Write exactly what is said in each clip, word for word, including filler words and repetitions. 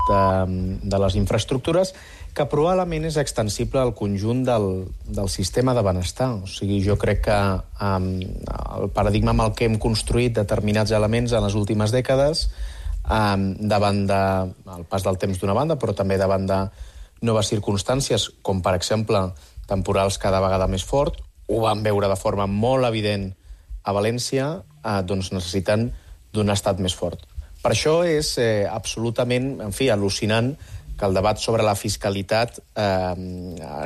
de, de les infraestructures, que probablement és extensible al conjunt del, del sistema de benestar. O sigui, jo crec que um, el paradigma amb el que hem construït determinats elements en les últimes dècades, um, davant del de, pas del temps d'una banda, però també davant de noves circumstàncies, com per exemple temporals cada vegada més fort, ho vam veure de forma molt evident a València, eh, doncs necessiten d'un estat més fort. Per això és eh, absolutament, en fi, al·lucinant que el debat sobre la fiscalitat eh,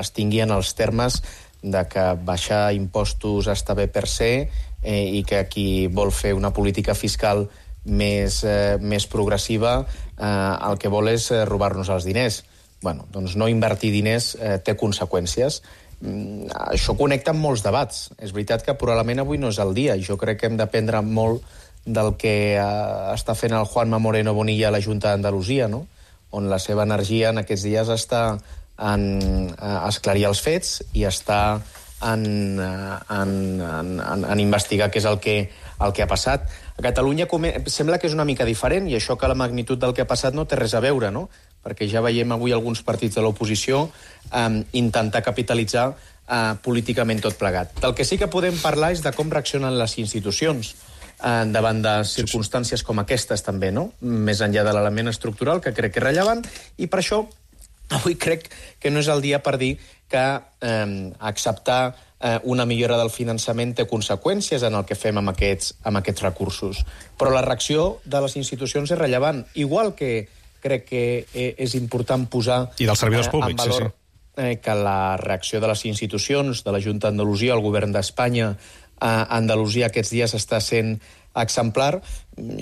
es tingui en els termes de que baixar impostos està bé per se eh, i que qui vol fer una política fiscal més, eh, més progressiva eh, el que vol és eh, robar-nos els diners. Bueno, doncs no invertir diners eh, té conseqüències. Mm, això connecta amb molts debats. És veritat que probablement avui no és el dia. Jo crec que hem d'aprendre molt del que eh, està fent el Juanma Moreno Bonilla a la Junta d'Andalusia, no? On la seva energia en aquests dies està en eh, esclarir els fets i està en, en, en, en, en investigar què és el que, el que ha passat. A Catalunya sembla que és una mica diferent i això que la magnitud del que ha passat no té res a veure, no? Perquè ja veiem avui alguns partits de l'oposició eh, intentar capitalitzar eh, políticament tot plegat. Del que sí que podem parlar és de com reaccionen les institucions eh, davant de circumstàncies com aquestes també, no? Més enllà de l'element estructural, que crec que és rellevant, i per això avui crec que no és el dia per dir que eh, acceptar eh, una millora del finançament té conseqüències en el que fem amb aquests, amb aquests recursos. Però la reacció de les institucions és rellevant, igual que crec que és important posar I dels servidors públics, en valor sí, sí. Eh, que la reacció de les institucions, de la Junta d'Andalusia, el govern d'Espanya, a Andalusia aquests dies està sent exemplar.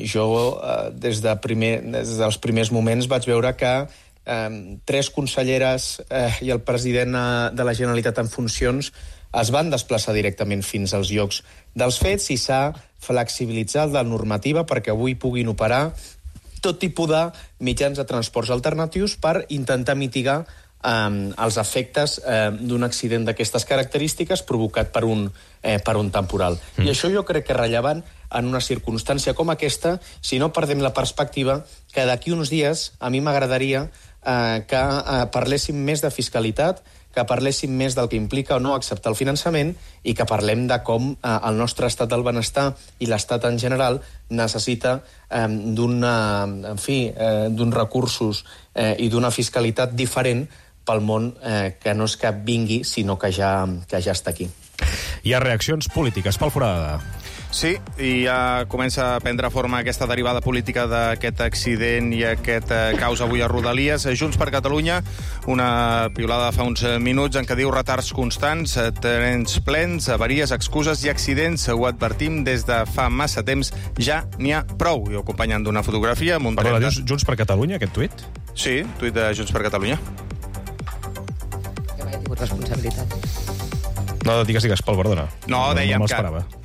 Jo, eh, des, de primer, des dels primers moments, vaig veure que eh, tres conselleres eh, i el president de la Generalitat en funcions es van desplaçar directament fins als llocs dels fets i s'ha flexibilitzat la normativa perquè avui puguin operar tot tipus de mitjans de transports alternatius per intentar mitigar eh, els efectes eh, d'un accident d'aquestes característiques provocat per un, eh, per un temporal. Mm. I això jo crec que és rellevant en una circumstància com aquesta, si no perdem la perspectiva que d'aquí uns dies a mi m'agradaria eh, que eh, parléssim més de fiscalitat, que parléssim més del que implica o no acceptar el finançament i que parlem de com eh, el nostre estat del benestar i l'estat en general necessita eh, d'una, en fi, eh, d'uns recursos eh, i d'una fiscalitat diferent pel món eh, que no és que vingui, sinó que ja, que ja està aquí. Hi ha reaccions polítiques. Pol Forada. Sí, i ja comença a prendre forma aquesta derivada política d'aquest accident i aquest eh, caos avui a Rodalies. Junts per Catalunya, una piulada fa uns minuts en què diu retards constants, trens plens, avaries, excuses i accidents. Ho advertim des de fa massa temps, ja n'hi ha prou. I ho acompanyen d'una fotografia amb un Perdona, repte. dius Junts per Catalunya, aquest tuit? Sí, tuit de Junts per Catalunya. Que mai he tingut responsabilitat. No, digues, digues, Pol, perdona. No, dèiem no que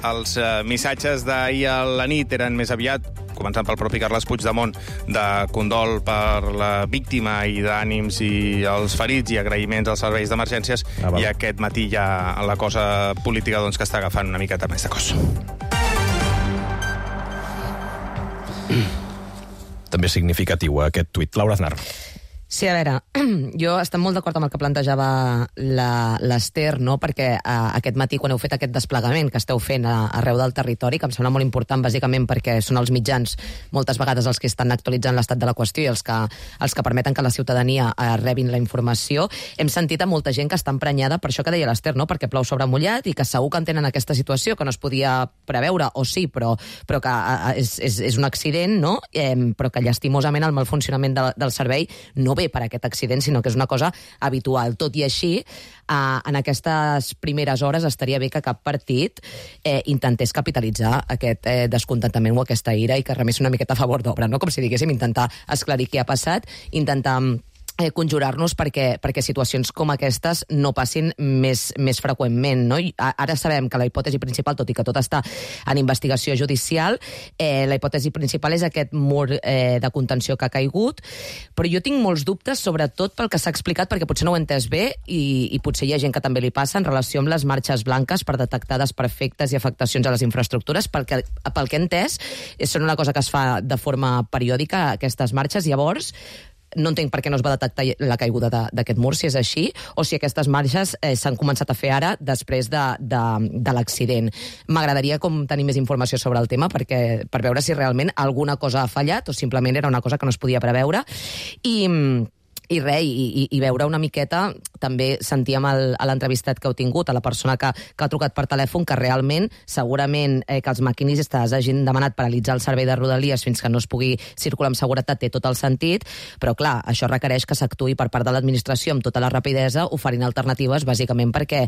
els uh, missatges d'ahir a la nit eren més aviat, començant pel propi Carles Puigdemont, de condol per la víctima i d'ànims i els ferits i agraïments als serveis d'emergències, ah, i aquest matí ja la cosa política doncs, que està agafant una miqueta més de cos. També significatiu aquest tuit. Laura Aznar. Sí, a veure, jo estic molt d'acord amb el que plantejava l'Ester, no? Perquè eh, aquest matí, quan heu fet aquest desplegament que esteu fent a, arreu del territori, que em sembla molt important, bàsicament perquè són els mitjans moltes vegades els que estan actualitzant l'estat de la qüestió i els que, els que permeten que la ciutadania eh, rebin la informació, hem sentit a molta gent que està emprenyada per això que deia l'Ester, no? Perquè plou sobre mullat i que segur que entenen aquesta situació, que no es podia preveure, o sí, però, però que eh, és, és, és un accident, no? Eh, però que llastimosament el mal funcionament de, del servei no ve per aquest accident, sinó que és una cosa habitual. Tot i així, eh, en aquestes primeres hores estaria bé que cap partit eh, intentés capitalitzar aquest eh, descontentament o aquesta ira i que remés una miqueta a favor d'obra, no? Com si diguéssim, intentar esclarir què ha passat, intentar Eh, conjurar-nos perquè, perquè situacions com aquestes no passin més, més freqüentment, no? I ara sabem que la hipòtesi principal, tot i que tot està en investigació judicial, eh, la hipòtesi principal és aquest mur eh, de contenció que ha caigut, però jo tinc molts dubtes, sobretot pel que s'ha explicat, perquè potser no ho he entès bé i, i potser hi ha gent que també li passa en relació amb les marxes blanques per detectar desperfectes i afectacions a les infraestructures, perquè pel que he entès són una cosa que es fa de forma periòdica, aquestes marxes. Llavors, no entenc per què no es va detectar la caiguda d'aquest mur, si és així, o si aquestes marges eh, s'han començat a fer ara després de, de, de l'accident. M'agradaria com tenir més informació sobre el tema perquè, per veure si realment alguna cosa ha fallat o simplement era una cosa que no es podia preveure. I... I res, i, i, i veure una miqueta, també sentíem el, a l'entrevistat que heu tingut, a la persona que, que ha trucat per telèfon, que realment, segurament, eh, que els maquinistes hagin demanat paralitzar el servei de Rodalies fins que no es pugui circular amb seguretat té tot el sentit, però clar, això requereix que s'actuï per part de l'administració amb tota la rapidesa, oferint alternatives, bàsicament perquè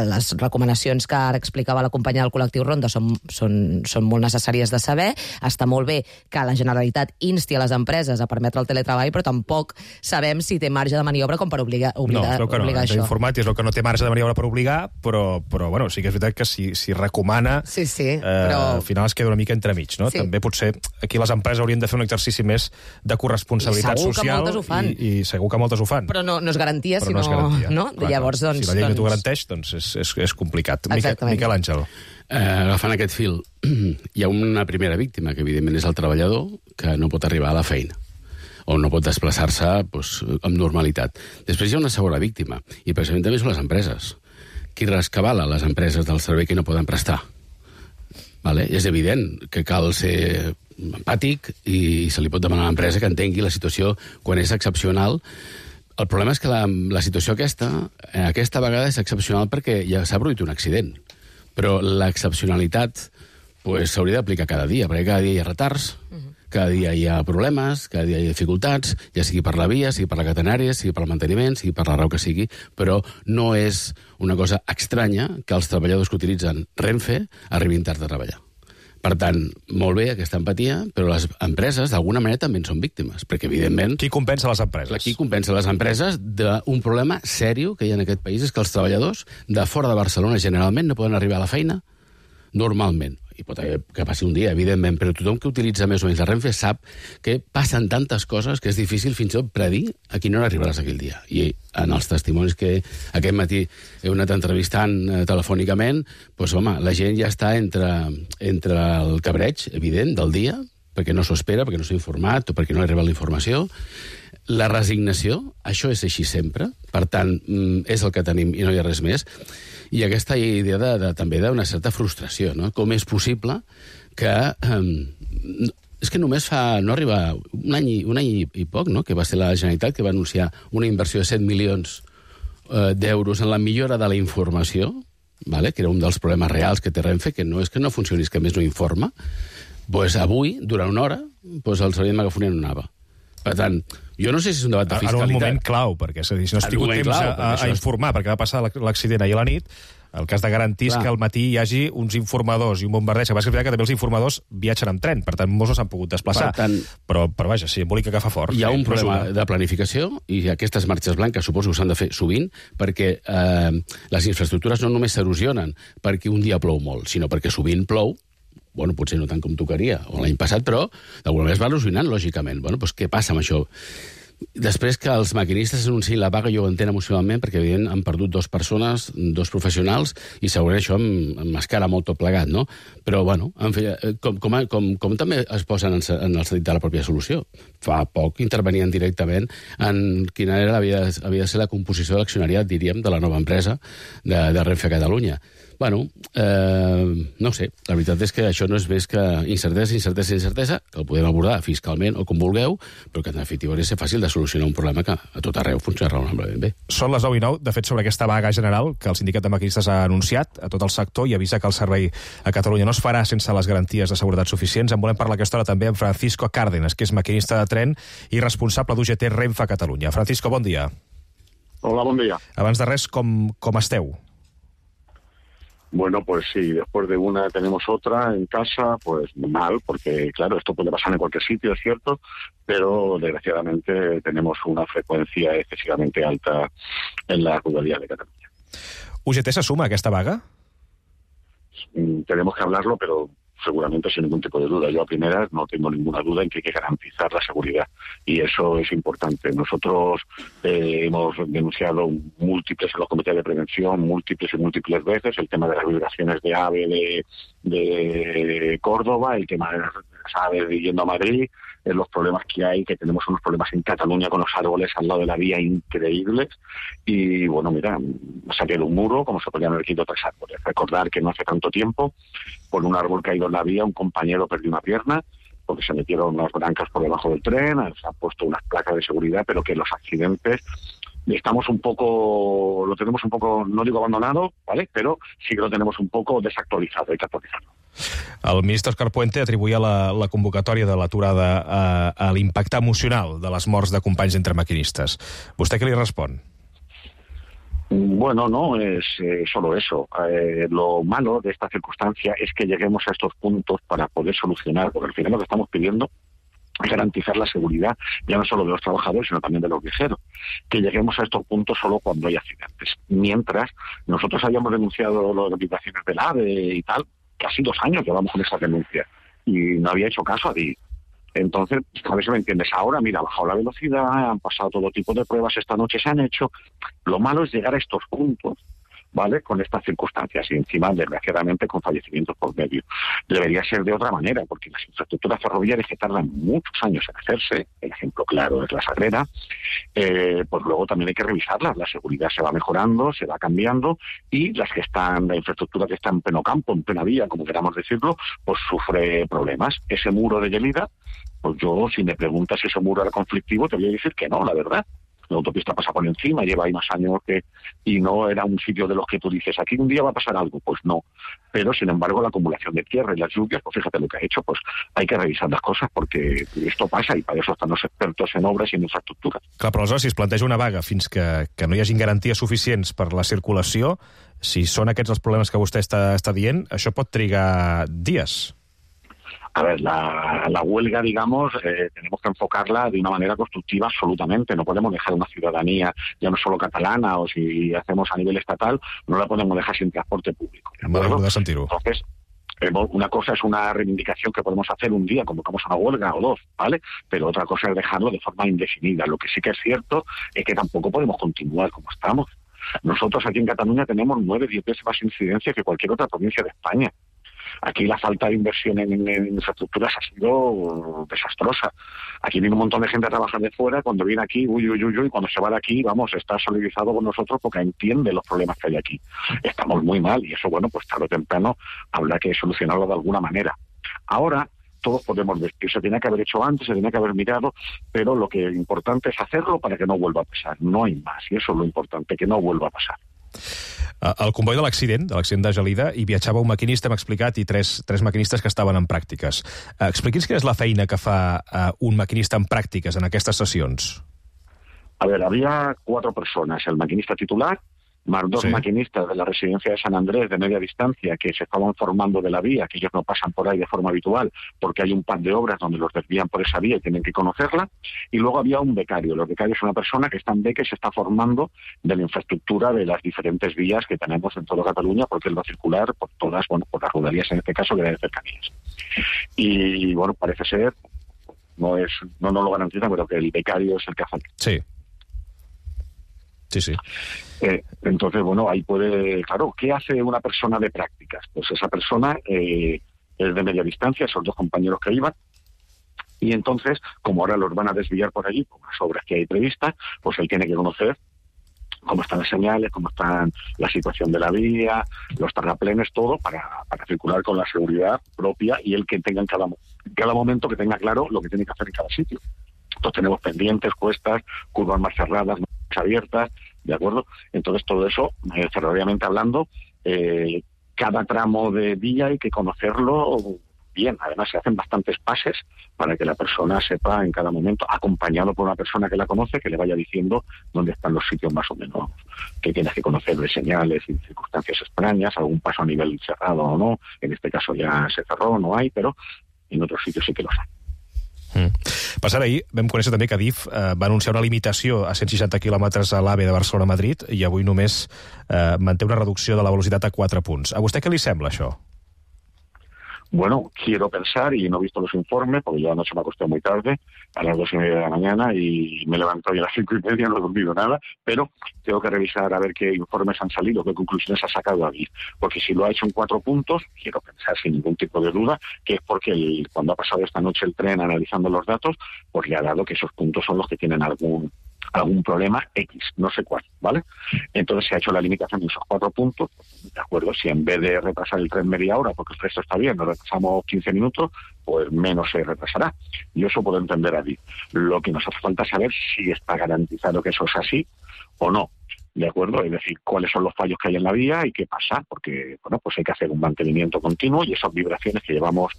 les recomanacions que ara explicava la companya del col·lectiu Ronda són, són, són molt necessàries de saber. Està molt bé que la Generalitat insti a les empreses a permetre el teletreball, però tampoc sabem si té marge de maniobra com per obligar, obligar, no, és que no, obligar això. Informat és el que no té marge de maniobra per obligar, però, però bueno, sí que és veritat que si, si recomana, sí, sí, eh, però... al final es queda una mica entremig, no? Sí. També potser aquí les empreses haurien de fer un exercici més de corresponsabilitat segur social i, i, i segur que moltes ho fan. Però no, no és garantia, però sinó... no és garantia. No? Clar, Llavors, doncs, si la llei doncs... no t'ho garanteix, doncs és, és, és complicat. Exactament. Miquel Àngel. Eh, agafant aquest fil, hi ha una primera víctima, que evidentment és el treballador, que no pot arribar a la feina o no pot desplaçar-se doncs, amb normalitat. Després hi ha una segona víctima, i precisament també són les empreses. Qui rescabala les empreses del servei que no poden prestar? Vale? És evident que cal ser empàtic i se li pot demanar a l'empresa que entengui la situació quan és excepcional. El problema és que la, la situació aquesta, aquesta vegada és excepcional perquè ja s'ha produït un accident. Però l'excepcionalitat pues, s'hauria d'aplicar cada dia, perquè cada dia hi ha retards, uh-huh. cada dia hi ha problemes, cada dia hi ha dificultats, ja sigui per la via, sigui per la catenària, sigui per el manteniment, sigui per la raó que sigui, però no és una cosa estranya que els treballadors que utilitzen Renfe arribin tard a treballar. Per tant, molt bé aquesta empatia, però les empreses d'alguna manera també en són víctimes, perquè evidentment... Qui compensa les empreses? Qui compensa les empreses d'un problema sèrio que hi ha en aquest país és que els treballadors de fora de Barcelona generalment no poden arribar a la feina normalment. Hi pot haver que passi un dia, evidentment, però tothom que utilitza més o menys la Renfe sap que passen tantes coses que és difícil fins i tot predir a qui no arribaràs aquell dia. I en els testimonis que aquest matí he anat entrevistant eh, telefònicament, doncs, home, la gent ja està entre, entre el cabreig, evident, del dia, perquè no s'ho espera, perquè no s'ha informat o perquè no ha arribat la informació. La resignació, això és així sempre, per tant, és el que tenim i no hi ha res més. I aquesta idea de, de, també d'una certa frustració, no? Com és possible que... Eh, és que només fa... no arriba un any, i, un any i, i poc, no?, que va ser la Generalitat que va anunciar una inversió de set milions eh, d'euros en la millora de la informació, vale? Que era un dels problemes reals que té Renfe, que no és que no funcioni, és que a més no informa. Pues avui, durant una hora, pues el servei de megafonia no anava. Per tant, jo no sé si és un debat de fiscalitat. En un moment clau, perquè és a dir, si no has tingut temps clau, a, a informar, perquè va passar l'accident ahir a la nit, el cas de garantir és que al matí hi hagi uns informadors i un bombardeig, que va ser que també els informadors viatgen amb tren, per tant, molts no s'han pogut desplaçar. Per tant, però, però vaja, sí, embolica que fa fort. Hi ha sí, un problema de planificació, i aquestes marxes blanques suposo que s'han de fer sovint, perquè eh, les infraestructures no només s'erosionen perquè un dia plou molt, sinó perquè sovint plou, bueno, potser no tant com tocaria, o l'any passat, però d'alguna manera es va erosionant, lògicament. Bueno, doncs què passa amb això? Després que els maquinistes anunciïn la vaga, jo ho entenc emocionalment, perquè evident han perdut dues persones, dos professionals, i segurament això m'escara molt tot plegat, no? Però, bueno, en fi, com, com, com, com també es posen en, en el sentit de la pròpia solució? Fa poc intervenien directament en quina era havia, havia de ser la composició de l'accionariat, diríem, de la nova empresa de, de Renfe a Catalunya. Bueno, eh, no sé, la veritat és que això no és més que incertesa, incertesa, incertesa, que el podem abordar fiscalment o com vulgueu, però que en definitiva hauria de ser fàcil de solucionar un problema que a tot arreu funciona raonablement bé. Són les nou i nou, de fet, sobre aquesta vaga general que el sindicat de maquinistes ha anunciat a tot el sector i avisa que el servei a Catalunya no es farà sense les garanties de seguretat suficients. En volem parlar aquesta hora també amb Francisco Cárdenas, que és maquinista de tren i responsable d'U G T Renfe a Catalunya. Francisco, bon dia. Hola, bon dia. Abans de res, com, com esteu? Bueno, pues sí, después de una tenemos otra en casa, pues mal, porque claro, esto puede pasar en cualquier sitio, es cierto, pero desgraciadamente tenemos una frecuencia excesivamente alta en la Rodalías de Cataluña. U G T se suma a aquesta vaga? Tenemos que hablarlo, pero seguramente sin ningún tipo de duda. Yo a primeras no tengo ninguna duda en que hay que garantizar la seguridad y eso es importante. Nosotros eh, hemos denunciado múltiples en los comités de prevención, múltiples y múltiples veces, el tema de las vibraciones de AVE de, de Córdoba, el tema de las AVE yendo a Madrid, en los problemas que hay, que tenemos unos problemas en Cataluña con los árboles al lado de la vía increíbles. Y bueno, mira, saqué de un muro, como se podían haber quitado tres árboles. Recordar que no hace tanto tiempo, por un árbol caído en la vía, un compañero perdió una pierna, porque se metieron unas brancas por debajo del tren, se han puesto unas placas de seguridad, pero que los accidentes estamos un poco, lo tenemos un poco, no digo abandonado, ¿vale? Pero sí que lo tenemos un poco desactualizado, hay que actualizarlo. El ministre Òscar Puente atribuïa la, la convocatòria de l'aturada a, a l'impacte emocional de les morts de companys entre maquinistes. Vostè què li respon? Bueno, no es eh, solo eso. Eh, lo malo de esta circunstancia es que lleguemos a estos puntos para poder solucionar, porque al final lo que estamos pidiendo es garantizar la seguridad, ya no solo de los trabajadores, sino también de los viajeros. Que lleguemos a estos puntos solo cuando hay accidentes. Mientras, nosotros habíamos denunciado las vibraciones del AVE y tal, casi dos años llevamos con esa denuncia, y no había hecho caso a ti. Entonces, a ver si me entiendes. Ahora, mira, ha bajado la velocidad, han pasado todo tipo de pruebas, esta noche se han hecho. Lo malo es llegar a estos puntos, ¿vale?, con estas circunstancias y encima, desgraciadamente, con fallecimientos por medio. Debería ser de otra manera, porque las infraestructuras ferroviarias que tardan muchos años en hacerse, el ejemplo claro es la Sagrera, eh, pues luego también hay que revisarlas. La seguridad se va mejorando, se va cambiando, y las que están, la infraestructura que está en pleno campo, en plena vía, como queramos decirlo, pues sufre problemas. Ese muro de Lleida, pues yo, si me preguntas si ese muro era conflictivo, te voy a decir que no, la verdad. La autopista pasa por encima, lleva ahí más años que... y no era un sitio de los que tú dices, aquí un día va a pasar algo, pues no. Pero, sin embargo, la acumulación de tierra y las lluvias, pues fíjate lo que ha hecho, pues hay que revisar las cosas, porque esto pasa, i per això estan els expertos en obres i en infraestructures. Clar, però aleshores, si es planteja una vaga fins que, que no hi hagin garanties suficients per la circulació, si són aquests els problemes que vostè està, està dient, això pot trigar dies. A ver, la, la huelga, digamos, eh, tenemos que enfocarla de una manera constructiva absolutamente. No podemos dejar una ciudadanía, ya no solo catalana, o si hacemos a nivel estatal, no la podemos dejar sin transporte público. Vale, puede sentir-ho. Entonces, eh, una cosa es una reivindicación que podemos hacer un día, convocamos una huelga o dos, ¿vale? Pero otra cosa es dejarlo de forma indefinida. Lo que sí que es cierto es que tampoco podemos continuar como estamos. Nosotros aquí en Cataluña tenemos nueve, diez veces más incidencia que cualquier otra provincia de España. Aquí la falta de inversión en, en infraestructuras ha sido desastrosa. Aquí viene un montón de gente a trabajar de fuera, cuando viene aquí, uy, uy, uy, uy, cuando se va de aquí, vamos, está solidarizado con nosotros porque entiende los problemas que hay aquí. Estamos muy mal y eso, bueno, pues tarde o temprano habrá que solucionarlo de alguna manera. Ahora, todos podemos decir, se tenía que haber hecho antes, se tenía que haber mirado, pero lo que es importante es hacerlo para que no vuelva a pasar. No hay más, y eso es lo importante, que no vuelva a pasar. Al comboi de l'accident, de l'accident de Gelida, hi viatjava un maquinista, hem explicat, i tres, tres maquinistes que estaven en pràctiques. Expliqui'ns quina és la feina que fa un maquinista en pràctiques en aquestes sessions. A ver, había cuatro personas, el maquinista titular, más dos sí. maquinistas de la residencia de San Andrés de media distancia que se estaban formando de la vía, que ellos no pasan por ahí de forma habitual porque hay un par de obras donde los desvían por esa vía y tienen que conocerla, y luego había un becario. El becario es una persona que está en beca y se está formando de la infraestructura de las diferentes vías que tenemos en toda Cataluña, porque él va a circular por todas, bueno, por las rodalías en este caso, que de cercanías. Y bueno, parece ser, no es, no nos lo garantiza, pero que el becario es el que hace. Sí. Sí, sí. Eh, entonces, bueno, ahí puede... Claro, ¿qué hace una persona de prácticas? Pues esa persona eh, es de media distancia, esos dos compañeros que iban, y entonces, como ahora los van a desviar por allí, por las obras que hay previstas, pues él tiene que conocer cómo están las señales, cómo está la situación de la vía, los terraplenes, todo, para, para circular con la seguridad propia, y él que tenga en cada, cada momento, que tenga claro lo que tiene que hacer en cada sitio. Entonces tenemos pendientes, cuestas, curvas más cerradas, más abiertas, ¿de acuerdo? Entonces todo eso, eh, ferroviariamente hablando, eh, cada tramo de vía hay que conocerlo bien. Además se hacen bastantes pases para que la persona sepa en cada momento, acompañado por una persona que la conoce, que le vaya diciendo dónde están los sitios más o menos que tienes que conocer, de señales y circunstancias extrañas, algún paso a nivel cerrado o no. En este caso ya se cerró, no hay, pero en otros sitios sí que los hay. Mm. Per cert, ahir vam conèixer també que Adif eh, va anunciar una limitació a cent seixanta quilòmetres a l'AVE de Barcelona a Madrid i avui només eh, manté una reducció de la velocitat a quatre punts. A vostè què li sembla, això? Bueno, quiero pensar, y no he visto los informes, porque yo anoche me acosté muy tarde, a las dos y media de la mañana, y me levanto hoy a las cinco y media, no he dormido nada, pero tengo que revisar a ver qué informes han salido, qué conclusiones ha sacado David. Porque si lo ha hecho en cuatro puntos, quiero pensar sin ningún tipo de duda, que es porque el, cuando ha pasado esta noche el tren analizando los datos, pues le ha dado que esos puntos son los que tienen algún algún problema X, no sé cuál, ¿vale? Entonces se ha hecho la limitación de esos cuatro puntos, de acuerdo, si en vez de retrasar el tren media hora, porque el resto está bien, nos retrasamos quince minutos, pues menos se retrasará. Y eso puedo entender a ti. Lo que nos hace falta saber si está garantizado que eso es así o no, ¿de acuerdo? Es decir, cuáles son los fallos que hay en la vía y qué pasa, porque, bueno, pues hay que hacer un mantenimiento continuo y esas vibraciones que llevamos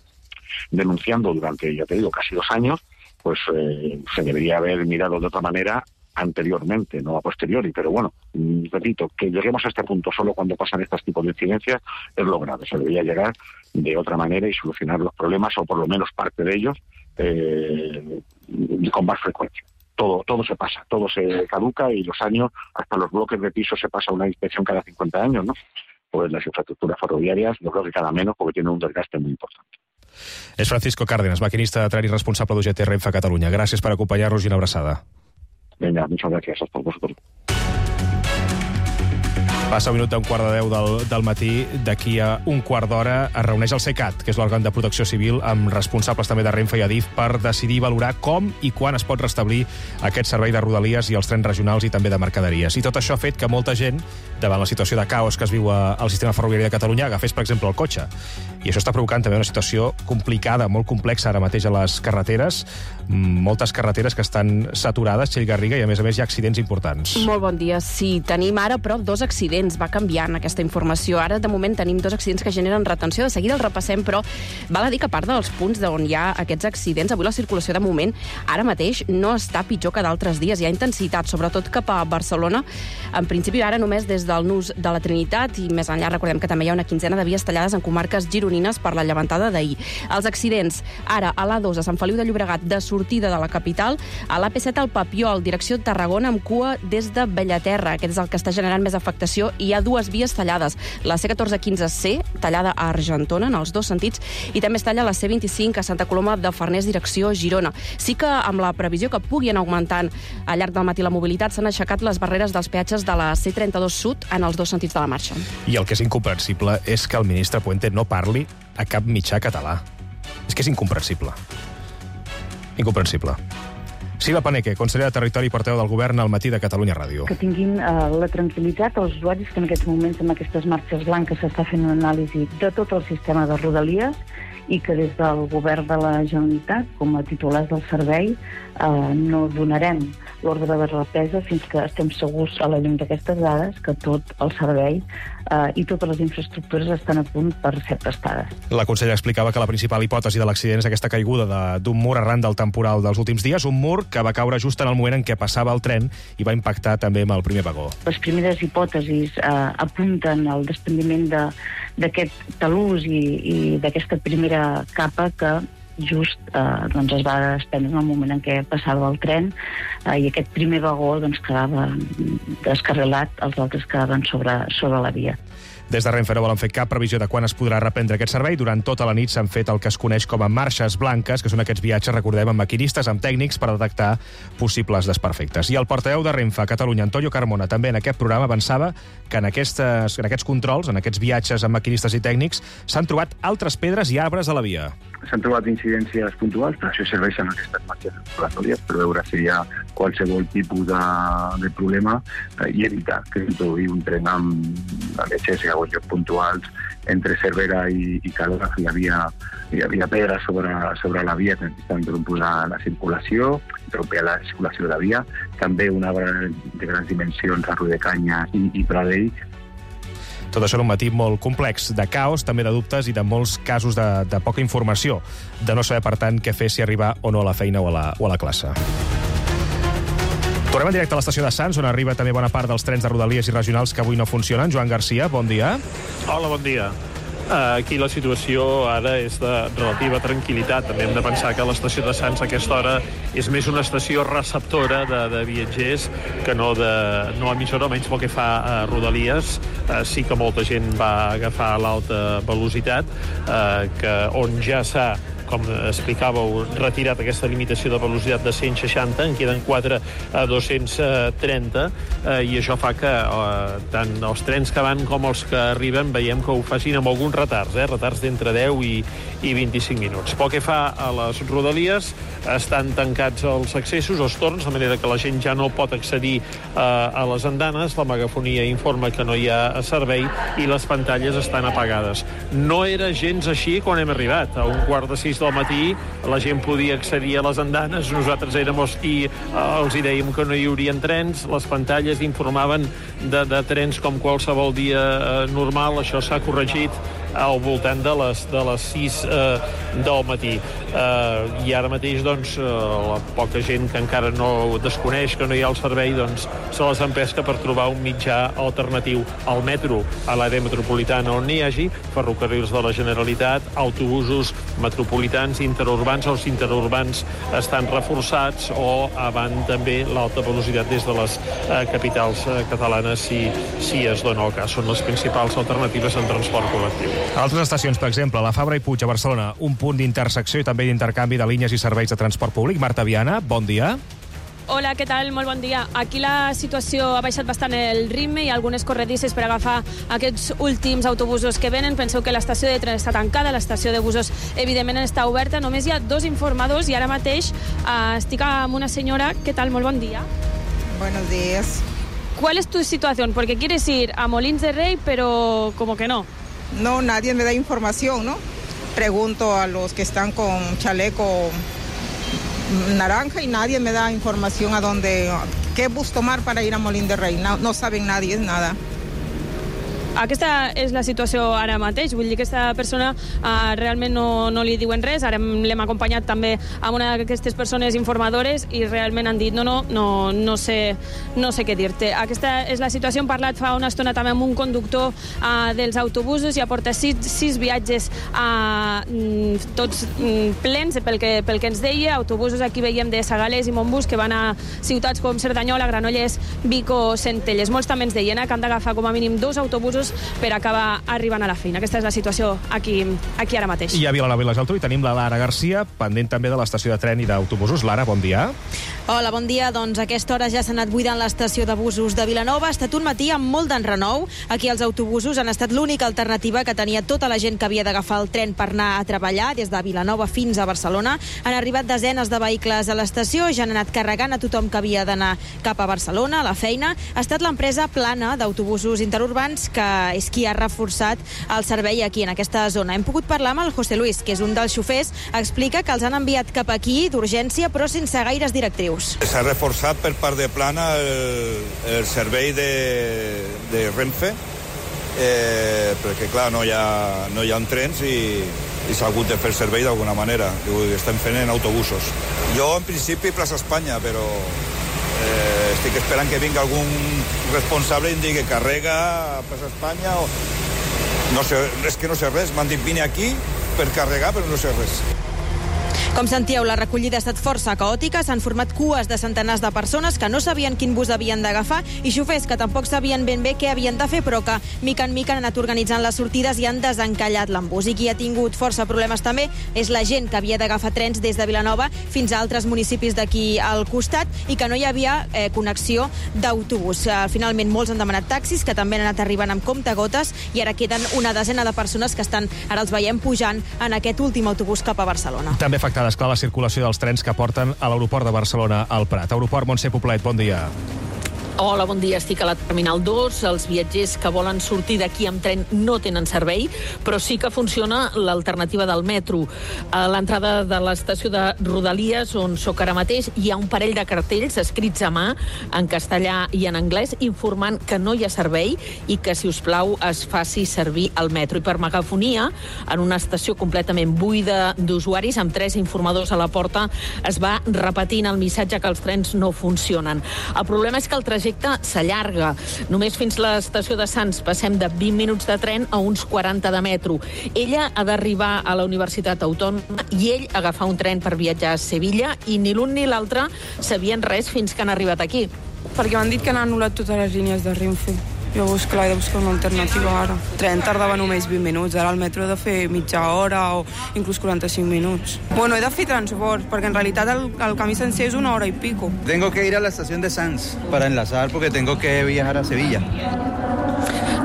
denunciando durante, ya te digo, casi dos años, pues eh, se debería haber mirado de otra manera anteriormente, no a posteriori, pero bueno, repito, que lleguemos a este punto solo cuando pasan estos tipos de incidencias es lo grave. Se debería llegar de otra manera y solucionar los problemas, o por lo menos parte de ellos, eh, con más frecuencia. Todo, todo se pasa, todo se caduca, y los años, hasta los bloques de piso se pasa una inspección cada cincuenta años, ¿no? Pues las infraestructuras ferroviarias, yo creo que cada menos, porque tienen un desgaste muy importante. És Francisco Cárdenas, maquinista de tren i responsable d'U G T Renfe Catalunya. Gràcies per acompanyar-nos i una abraçada. Venga, muchas gracias a vosotros. Passa un minut d'un quart de deu del, del matí. D'aquí a un quart d'hora es reuneix el CECAT, que és l'òrgan de protecció civil, amb responsables també de Renfe i Adif, per decidir i valorar com i quan es pot restablir aquest servei de Rodalies i els trens regionals i també de mercaderies. I tot això ha fet que molta gent, davant la situació de caos que es viu al sistema ferroviari de Catalunya, agafés, per exemple, el cotxe. I això està provocant també una situació complicada, molt complexa ara mateix a les carreteres. Moltes carreteres que estan saturades, Txell Garriga, i a més a més hi ha accidents importants. Molt bon dia. Sí, tenim ara però dos accidents. Va canviant aquesta informació. Ara, de moment, tenim dos accidents que generen retenció. De seguida els repassem, però val a dir que a part dels punts on hi ha aquests accidents, avui la circulació, de moment, ara mateix no està pitjor que d'altres dies. Hi ha intensitat, sobretot cap a Barcelona. En principi, ara només des del nus de la Trinitat, i més enllà recordem que també hi ha una quinzena de vies tallades en comarques gironines per la llevantada d'ahir. Els accidents, ara, a l'A dos, a Sant Feliu de Llobregat, de sortida de la capital, a l'A P set al Papiol, direcció Tarragona, amb cua des de Bellaterra. Aquest és el que està generant més afectació. Hi ha dues vies tallades. La C catorze quinze C, tallada a Argentona, en els dos sentits, i també es talla la C vint-i-cinc a Santa Coloma de Farners, direcció Girona. Sí que amb la previsió que puguin augmentant al llarg del matí la mobilitat, s'han aixecat les barreres dels peatges de la C trenta-dos Sud en els dos sentits de la marxa. I el que és incomprensible és que el ministre Puente no parli a cap mitjà català. És que és incomprensible. Incomprensible. Sila Paneque, consellera de Territori i portaveu del Govern al Matí de Catalunya Ràdio. Que tinguin eh, la tranquil·litat els usuaris que en aquests moments amb aquestes marxes blanques s'està fent una anàlisi de tot el sistema de Rodalies, i que des del Govern de la Generalitat, com a titulars del servei, eh, no donarem l'ordre de represa fins que estem segurs, a la llum d'aquestes dades, que tot el servei eh, i totes les infraestructures estan a punt per ser prestades. La consellera explicava que la principal hipòtesi de l'accident és aquesta caiguda d'un mur arran del temporal dels últims dies, un mur que va caure just en el moment en què passava el tren i va impactar també amb el primer vagó. Les primeres hipòtesis eh, apunten al desprendiment de d'aquest talús i, i d'aquesta primera capa que just eh, doncs es va desprendre en el moment en què passava el tren, eh, i aquest primer vagó doncs, quedava descarrilat, els altres quedaven sobre, sobre la via. Des de Renfe no volen fer cap previsió de quan es podrà reprendre aquest servei. Durant tota la nit s'han fet el que es coneix com a marxes blanques, que són aquests viatges, recordem, amb maquinistes, amb tècnics, per detectar possibles desperfectes. I el portaveu de Renfe a Catalunya, Antonio Carmona, també en aquest programa avançava que en, aquestes, en aquests controls, en aquests viatges amb maquinistes i tècnics, s'han trobat altres pedres i arbres a la via. S'han trobat incidències puntuals, per això serveixen aquestes marxes exploratòries, per veure si hi ha qualsevol tipus de, de problema eh, i evitar que s'introduï un tren amb excés a llocs puntuals entre Cervera i, i Caldes. Hi havia, hi havia pedra sobre, sobre la via que necessitava interrompre la, la circulació, interrompia la circulació de la via. També un arbre de grans dimensions a Rodecanya i, i Pradell. Tot això en un matí molt complex, de caos, també de dubtes i de molts casos de, de poca informació, de no saber, per tant, què fer, si arribar o no a la feina o a la, o a la classe. Tornem en directe a l'estació de Sants, on arriba també bona part dels trens de Rodalies i regionals que avui no funcionen. Joan Garcia, bon dia. Hola, bon dia. Aquí la situació ara és de relativa tranquil·litat. També hem de pensar que l'estació de Sants a aquesta hora és més una estació receptora de, de viatgers que no, de, no emissora, almenys pel que fa a Rodalies. Eh, sí que molta gent va agafar l'alta velocitat, eh, que on ja s'ha, com explicàveu, retirat aquesta limitació de velocitat de cent seixanta, en queden quatre a dos-cents trenta, eh, i això fa que eh, tant els trens que van com els que arriben veiem que ho facin amb alguns retards, eh, retards d'entre deu i, i vint-i-cinc minuts. Pel que fa a les Rodalies, estan tancats els accessos, els torns, de manera que la gent ja no pot accedir eh, a les andanes, la megafonia informa que no hi ha servei i les pantalles estan apagades. No era gens així quan hem arribat. A un quart de sis del matí la gent podia accedir a les andanes, nosaltres érem els qui eh, els hi dèiem que no hi haurien trens, les pantalles informaven de, de trens com qualsevol dia eh, normal, això s'ha corregit al voltant de les, de les sis eh, del matí. Eh, I ara mateix, doncs, eh, la poca gent que encara no desconeix que no hi ha el servei, doncs, se les empesca per trobar un mitjà alternatiu al metro, a l'àrea metropolitana on n'hi hagi, ferrocarrils de la Generalitat, autobusos metropolitans, interurbans. Els interurbans estan reforçats o van també l'alta velocitat des de les eh, capitals eh, catalanes si, si es dona el cas. Són les principals alternatives en transport col·lectiu. Altres estacions, per exemple, la Fabra i Puig a Barcelona, un punt d'intersecció i també d'intercanvi de línies i serveis de transport públic. Marta Viana, bon dia. Hola, què tal? Molt bon dia. Aquí la situació ha baixat bastant el ritme, hi ha algunes corredisses per agafar aquests últims autobusos que venen. Penseu que l'estació de tren està tancada, l'estació de busos evidentment està oberta, només hi ha dos informadors i ara mateix eh, estic amb una senyora. Què tal? Molt bon dia. Buenos días. ¿Cuál es tu situación? Porque quieres ir a Molins de Rey, pero como que no. No, nadie me da información, ¿no? Pregunto a los que están con chaleco naranja y nadie me da información a dónde, qué bus tomar para ir a Molins de Rey. No, no saben nadie, nada. Aquesta és la situació ara mateix, vull dir que aquesta persona uh, realment no, no li diuen res. Ara l'hem acompanyat també amb una d'aquestes persones informadores i realment han dit no, no, no, no, sé, no sé què dir-te. Aquesta és la situació. Hem parlat fa una estona també amb un conductor uh, dels autobusos, ja porta sis, sis viatges uh, tots mm, plens pel que, pel que ens deia. Autobusos aquí veiem de Sagalés i Montbus que van a ciutats com Cerdanyola, Granollers, Vic o Centelles. Molts també ens deien eh, que han d'agafar com a mínim dos autobusos per acabar arribant a la feina. Aquesta és la situació aquí, aquí ara mateix. I a Vilanova i la Geltrú i tenim la Lara Garcia, pendent també de l'estació de tren i d'autobusos. Lara, bon dia. Hola, bon dia. Doncs a aquesta hora ja s'ha anat buidant l'estació de busos de Vilanova. Ha estat un matí amb molt d'enrenou. Aquí els autobusos han estat l'única alternativa que tenia tota la gent que havia d'agafar el tren per anar a treballar des de Vilanova fins a Barcelona. Han arribat desenes de vehicles a l'estació, ja han anat carregant a tothom que havia d'anar cap a Barcelona, a la feina. Ha estat l'empresa Plana d'autobusos interurbans que és qui ha reforçat el servei aquí, en aquesta zona. Hem pogut parlar amb el José Luis, que és un dels xofers. Explica que els han enviat cap aquí d'urgència, però sense gaires directrius. S'ha reforçat per part de Plana el, el servei de, de Renfe, eh, perquè, clar, no hi ha, no hi ha trens i, i s'ha hagut de fer servei d'alguna manera. Ho estem fent en autobusos. Jo, en principi, plaça Espanya, però eh, estic esperant que vingui algun responsable i em digui carrega a plaça Espanya o... No sé, és que no sé res. M'han dit vine aquí per carregar, però no sé res. Com sentíeu, la recollida ha estat força caòtica, s'han format cues de centenars de persones que no sabien quin bus havien d'agafar i xofers que tampoc sabien ben bé què havien de fer, però que mica en mica han anat organitzant les sortides i han desencallat l'embús. I qui ha tingut força problemes també és la gent que havia d'agafar trens des de Vilanova fins a altres municipis d'aquí al costat i que no hi havia eh, connexió d'autobús. Eh, finalment, molts han demanat taxis, que també han anat arribant amb comptagotes, i ara queden una desena de persones que estan, ara els veiem pujant en aquest últim autobús cap a Barcelona. També afectada, esclar, la circulació dels trens que porten a l'aeroport de Barcelona al Prat. Aeroport Montse Poblet, bon dia. Hola, bon dia. Estic a la Terminal dos. Els viatgers que volen sortir d'aquí amb tren no tenen servei, però sí que funciona l'alternativa del metro. A l'entrada de l'estació de Rodalies, on sóc ara mateix, hi ha un parell de cartells escrits a mà, en castellà i en anglès, informant que no hi ha servei i que, si us plau, es faci servir el metro. I per megafonia, en una estació completament buida d'usuaris, amb tres informadors a la porta, es va repetint el missatge que els trens no funcionen. El problema és que el trajecte trajecte s'allarga. Només fins l'estació de Sants passem de vint minuts de tren a uns quaranta de metro. Ella ha d'arribar a la Universitat Autònoma i ell agafar un tren per viatjar a Sevilla i ni l'un ni l'altre sabien res fins que han arribat aquí. Perquè m'han dit que han anul·lat totes les línies de Renfe. Llavors, clar, he de buscar una alternativa ara. El tren tardava només vint minuts, ara el metro he de fer mitja hora o inclús quaranta-cinc minuts. Bueno, he de fer transport, perquè en realitat el, el camí sencer és una hora i pico. Tengo que ir a la estación de Sants para enlazar porque tengo que viajar a Sevilla.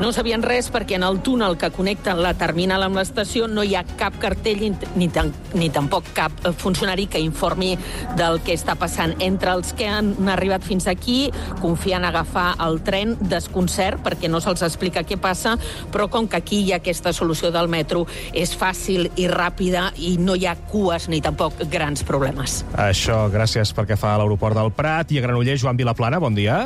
No sabien res perquè en el túnel que connecta la terminal amb l'estació no hi ha cap cartell ni, tan, ni tampoc cap funcionari que informi del que està passant. Entre els que han arribat fins aquí confien agafar el tren, desconcert perquè no se'ls explica què passa, però com que aquí hi ha aquesta solució del metro és fàcil i ràpida i no hi ha cues ni tampoc grans problemes. Això, gràcies perquè fa a l'aeroport del Prat. I a Granollers, Joan Vilaplana, bon dia.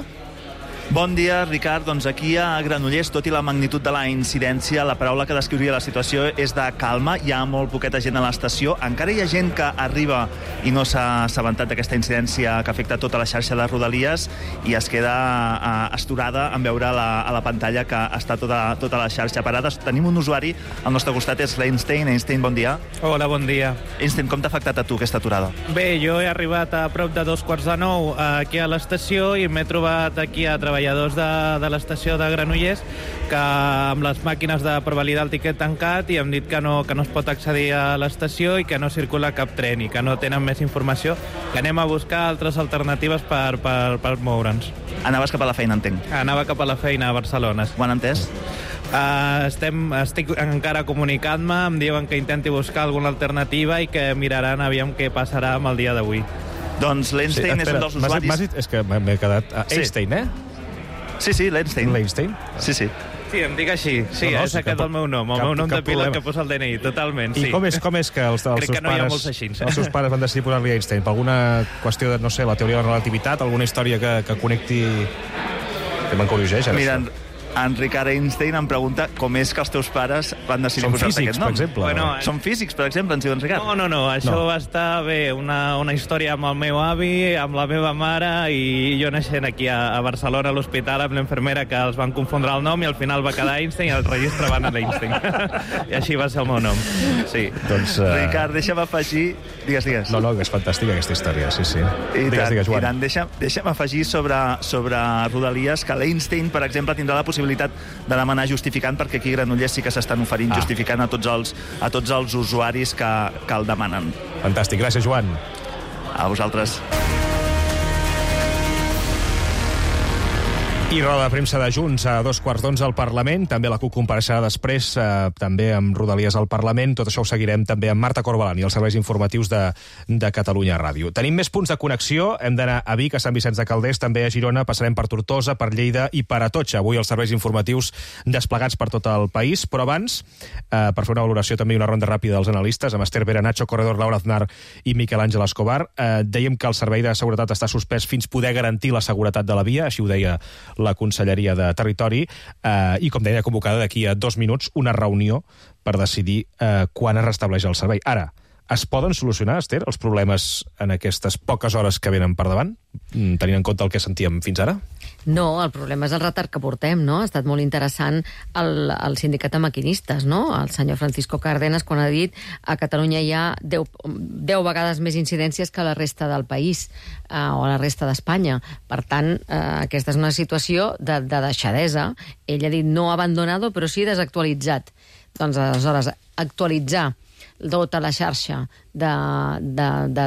Bon dia, Ricard. Doncs aquí a Granollers, tot i la magnitud de la incidència, la paraula que descriuria la situació és de calma. Hi ha molt poqueta gent a l'estació. Encara hi ha gent que arriba i no s'ha assabentat d'aquesta incidència que afecta tota la xarxa de Rodalies i es queda uh, esturada en veure la, a la pantalla que està tota, tota la xarxa parada. Tenim un usuari al nostre costat, és l'Einstein. Einstein, bon dia. Hola, bon dia. Einstein, com t'ha afectat a tu aquesta aturada? Bé, jo he arribat a prop de dos quarts de nou aquí a l'estació i m'he trobat aquí a treballar treballadors de, de l'estació de Granollers que amb les màquines de per validar el tiquet tancat i hem dit que no, que no es pot accedir a l'estació i que no circula cap tren i que no tenen més informació, que anem a buscar altres alternatives per, per, per moure'ns. Anaves cap a la feina, entenc. Anava cap a la feina a Barcelona. Ho han entès? Uh, estem, estic encara comunicant-me, em diuen que intenti buscar alguna alternativa i que miraran aviam què passarà amb el dia d'avui. Doncs l'Einstein sí, és un dels usuaris... M'has dit, és que m'he quedat... Uh, sí. Einstein, eh? Sí, sí, l'Einstein. L'Einstein? Sí, sí. Sí, em dic així. Sí, no, no, és aquest el meu nom. El cap, meu nom de pilot que posa el D N I, totalment. I sí. com, és, com és que els, els, seus que no pares, els seus pares van decidir posar-li Einstein? Per alguna qüestió de, no sé, la teoria de la relativitat, alguna història que, que connecti... Que m'encorregeix, ara. Mira, en Ricard Einstein em pregunta com és que els teus pares van decidir posar-te aquest nom. Per exemple. Bueno, Són físics, per exemple, ens diuen Ricard. No, no, no, això no. va estar bé, una, una història amb el meu avi, amb la meva mare i jo naixent aquí a, a Barcelona, a l'hospital, amb l'infermera que els van confondre el nom i al final va quedar Einstein i el registre va anar a l'Einstein. I així va ser el meu nom. Sí. Doncs, uh... Ricard, deixa'm afegir... Digues, digues. No, no, és fantàstica aquesta història, sí, sí. I digues, tant, digues, Joan. I tant, deixa'm, deixa'm afegir sobre, sobre Rodalies que l'Einstein, per exemple, tindrà la possibilitat de demanar justificant, perquè aquí a Granollers sí que s'estan oferint ah. justificant a tots els, a tots els usuaris que, que el demanen. Fantàstic, gràcies, Joan. A vosaltres. I roda de premsa de Junts a dos quarts d'onze al Parlament, també la CUP compareixerà després, eh, també amb Rodalies al Parlament. Tot això ho seguirem també amb Marta Corbalán i els serveis informatius de, de Catalunya Ràdio. Tenim més punts de connexió, hem d'anar a Vic, a Sant Vicenç de Calders, també a Girona, passarem per Tortosa, per Lleida i per Atocha. Avui els serveis informatius desplegats per tot el país, però abans, eh, per fer una valoració també una ronda ràpida dels analistes, amb Esther Vera, Nacho Corredor, Laura Aznar i Miquel Àngel Escobar, eh, dèiem que el servei de seguretat està suspès fins poder garantir la seguretat de la via, així ho deia la Conselleria de Territori, eh, i, com deia, convocada d'aquí a dos minuts una reunió per decidir eh, quan es restableix el servei. Ara, es poden solucionar, Esther, els problemes en aquestes poques hores que venen per davant, tenint en compte el que sentíem fins ara? No, el problema és el retard que portem, no? Ha estat molt interessant el, el sindicat de maquinistes, no? El senyor Francisco Cárdenas, quan ha dit a Catalunya hi ha deu, deu vegades més incidències que a la resta del país, eh, o a la resta d'Espanya. Per tant, eh, aquesta és una situació de, de deixadesa. Ell ha dit no abandonado, però sí desactualitzat. Doncs, aleshores, actualitzar tota la xarxa de, de, de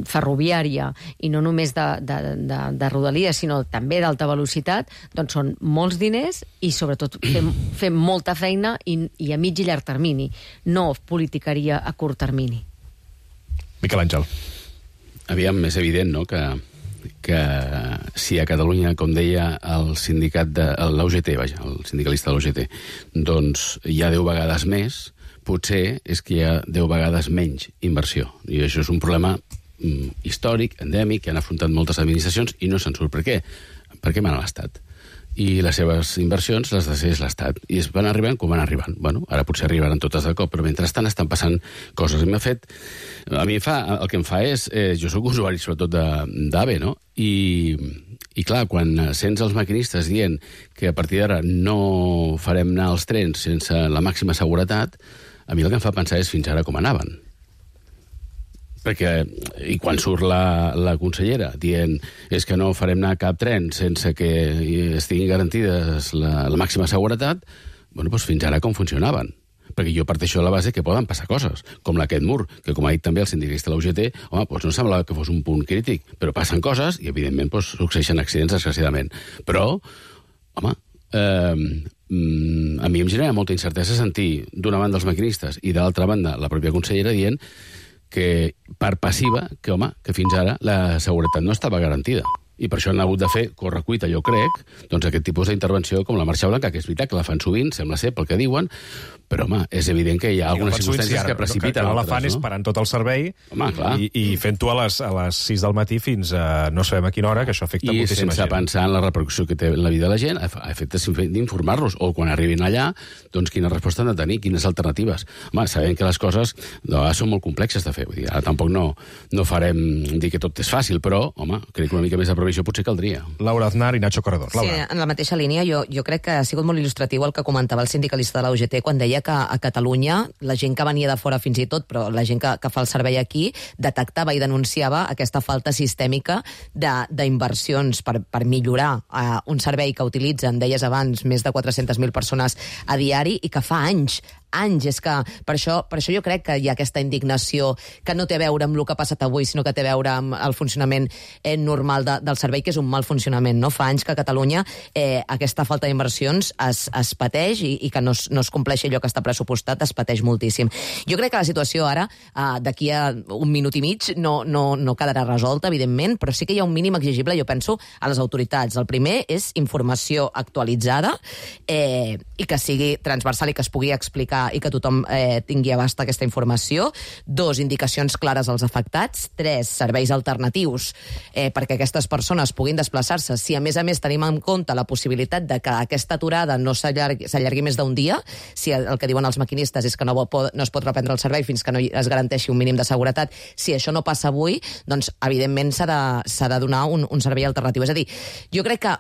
ferroviària i no només de, de, de, de Rodalies, sinó també d'alta velocitat, doncs són molts diners i sobretot fem, fem molta feina i, i a mig i llarg termini, no politiqueria a curt termini. Miquel Àngel. Aviam, és evident, no?, que que si a Catalunya, com deia el sindicat de l'O G T, vaja, el sindicalista de l'O G T, doncs hi ha deu vegades més, potser és que hi ha deu vegades menys inversió. I això és un problema mm, històric, endèmic, que han afrontat moltes administracions i no se'n surt. Per què? Perquè mana l'Estat. I les seves inversions les decideix l'Estat. I es van arribant com van arribant. Bueno, ara potser arribaran totes de cop, però mentrestant estan passant coses. I m'ha fet... A mi fa, el que em fa és... Eh, jo sóc usuari sobretot d'A V E, no? I, I clar, quan sents els maquinistes dient que a partir d'ara no farem anar els trens sense la màxima seguretat, a mi el que em fa pensar és fins ara com anaven. Perquè, i quan surt la, la consellera dient és que no farem anar cap tren sense que estiguin garantides la, la màxima seguretat, bueno, doncs fins ara com funcionaven. Perquè jo parteixo de la base que poden passar coses, com aquest mur, que com ha dit també el sindicalista de la U G T, home, doncs no semblava que fos un punt crític, però passen coses i, evidentment, doncs, succeeixen accidents desgraciadament. Però, home, eh, a mi em genera molta incertesa sentir d'una banda els maquinistes i de l'altra banda la pròpia consellera dient que per passiva, que, home, que fins ara la seguretat no estava garantida. I per això han hagut de fer correcuita, jo crec, doncs aquest tipus d'intervenció com la Marxa Blanca, que és veritat que la fan sovint, sembla ser pel que diuen, però, home, és evident que hi ha algunes circumstàncies que precipiten no, que no altres, la fan no? és parant tot el servei, home, clar. i, i fent-ho a les, a les sis del matí fins a no sabem a quina hora, que això afecta I moltíssima gent. I sense pensar en la repercussió que té en la vida de la gent, a efectes d'informar-los, o quan arribin allà, doncs quina resposta han de tenir, quines alternatives. Home, sabem que les coses no, són molt complexes de fer, vull dir, ara tampoc no, no farem dir que tot és fàcil, però, home, crec que una mica més de previsió potser caldria. Laura Aznar i Nacho Corredor. Laura. Sí, en la mateixa línia, jo, jo crec que ha sigut molt il·lustratiu el que comentava el sindicalista de la U G T quan deia que a Catalunya la gent que venia de fora fins i tot, però la gent que, que fa el servei aquí, detectava i denunciava aquesta falta sistèmica d'inversions per, per millorar uh, un servei que utilitzen, deies abans, més de quatre-centes mil persones a diari i que fa anys, anys, és que per això, per això jo crec que hi ha aquesta indignació que no té a veure amb el que ha passat avui, sinó que té a veure amb el funcionament eh, normal de, del servei, que és un mal funcionament, no? Fa anys que a Catalunya eh, aquesta falta d'inversions es, es pateix i, i que no es, no es compleix allò que està pressupostat, es pateix moltíssim. Jo crec que la situació ara, eh, d'aquí a un minut i mig, no, no, no quedarà resolta, evidentment, però sí que hi ha un mínim exigible, jo penso, a les autoritats. El primer és informació actualitzada eh, i que sigui transversal i que es pugui explicar i que tothom eh, tingui abast aquesta informació. Dos, indicacions clares als afectats. Tres, serveis alternatius eh, perquè aquestes persones puguin desplaçar-se. Si a més a més tenim en compte la possibilitat de que aquesta aturada no s'allargui més d'un dia, si el, el que diuen els maquinistes és que no, pot, no es pot reprendre el servei fins que no es garanteixi un mínim de seguretat, si això no passa avui, doncs evidentment s'ha de, s'ha de donar un, un servei alternatiu. És a dir, jo crec que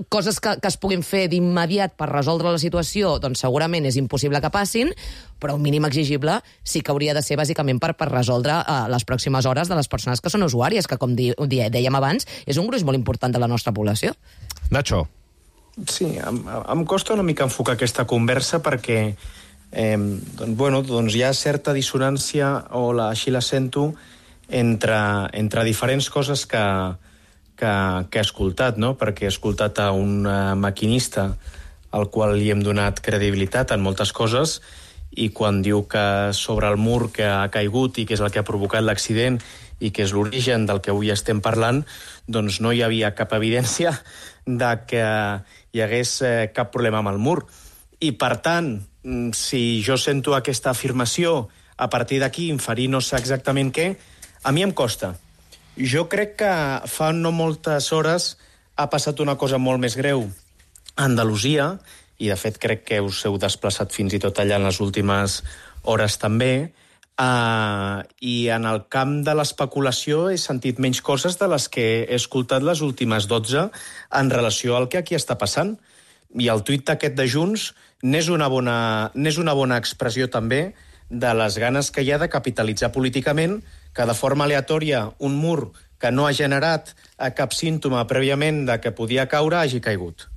coses que, que es puguin fer d'immediat per resoldre la situació, doncs segurament és impossible que passin, però un mínim exigible sí que hauria de ser bàsicament per, per resoldre uh, les pròximes hores de les persones que són usuàries, que com di, di, dèiem abans, és un gruix molt important de la nostra població. Nacho. Sí, em, em costa una mica enfocar aquesta conversa perquè eh, doncs, bueno, doncs hi ha certa dissonància, o la, així la sento, entre, entre diferents coses que Que, que he escoltat, no? Perquè he escoltat a un uh, maquinista al qual li hem donat credibilitat en moltes coses, i quan diu que sobre el mur que ha caigut i que és el que ha provocat l'accident i que és l'origen del que avui estem parlant, doncs no hi havia cap evidència de que hi hagués eh, cap problema amb el mur. I, per tant, si jo sento aquesta afirmació, a partir d'aquí inferir no sé exactament què, a mi em costa. Jo crec que fa no moltes hores ha passat una cosa molt més greu a Andalusia, i de fet crec que us heu desplaçat fins i tot allà en les últimes hores també, uh, i en el camp de l'especulació he sentit menys coses de les que he escoltat les últimes dotze en relació al que aquí està passant. I el tuit aquest de Junts n'és una bona, n'és una bona expressió també de les ganes que hi ha de capitalitzar políticament que de forma aleatòria un mur que no ha generat cap símptoma prèviament de que podia caure hagi caigut.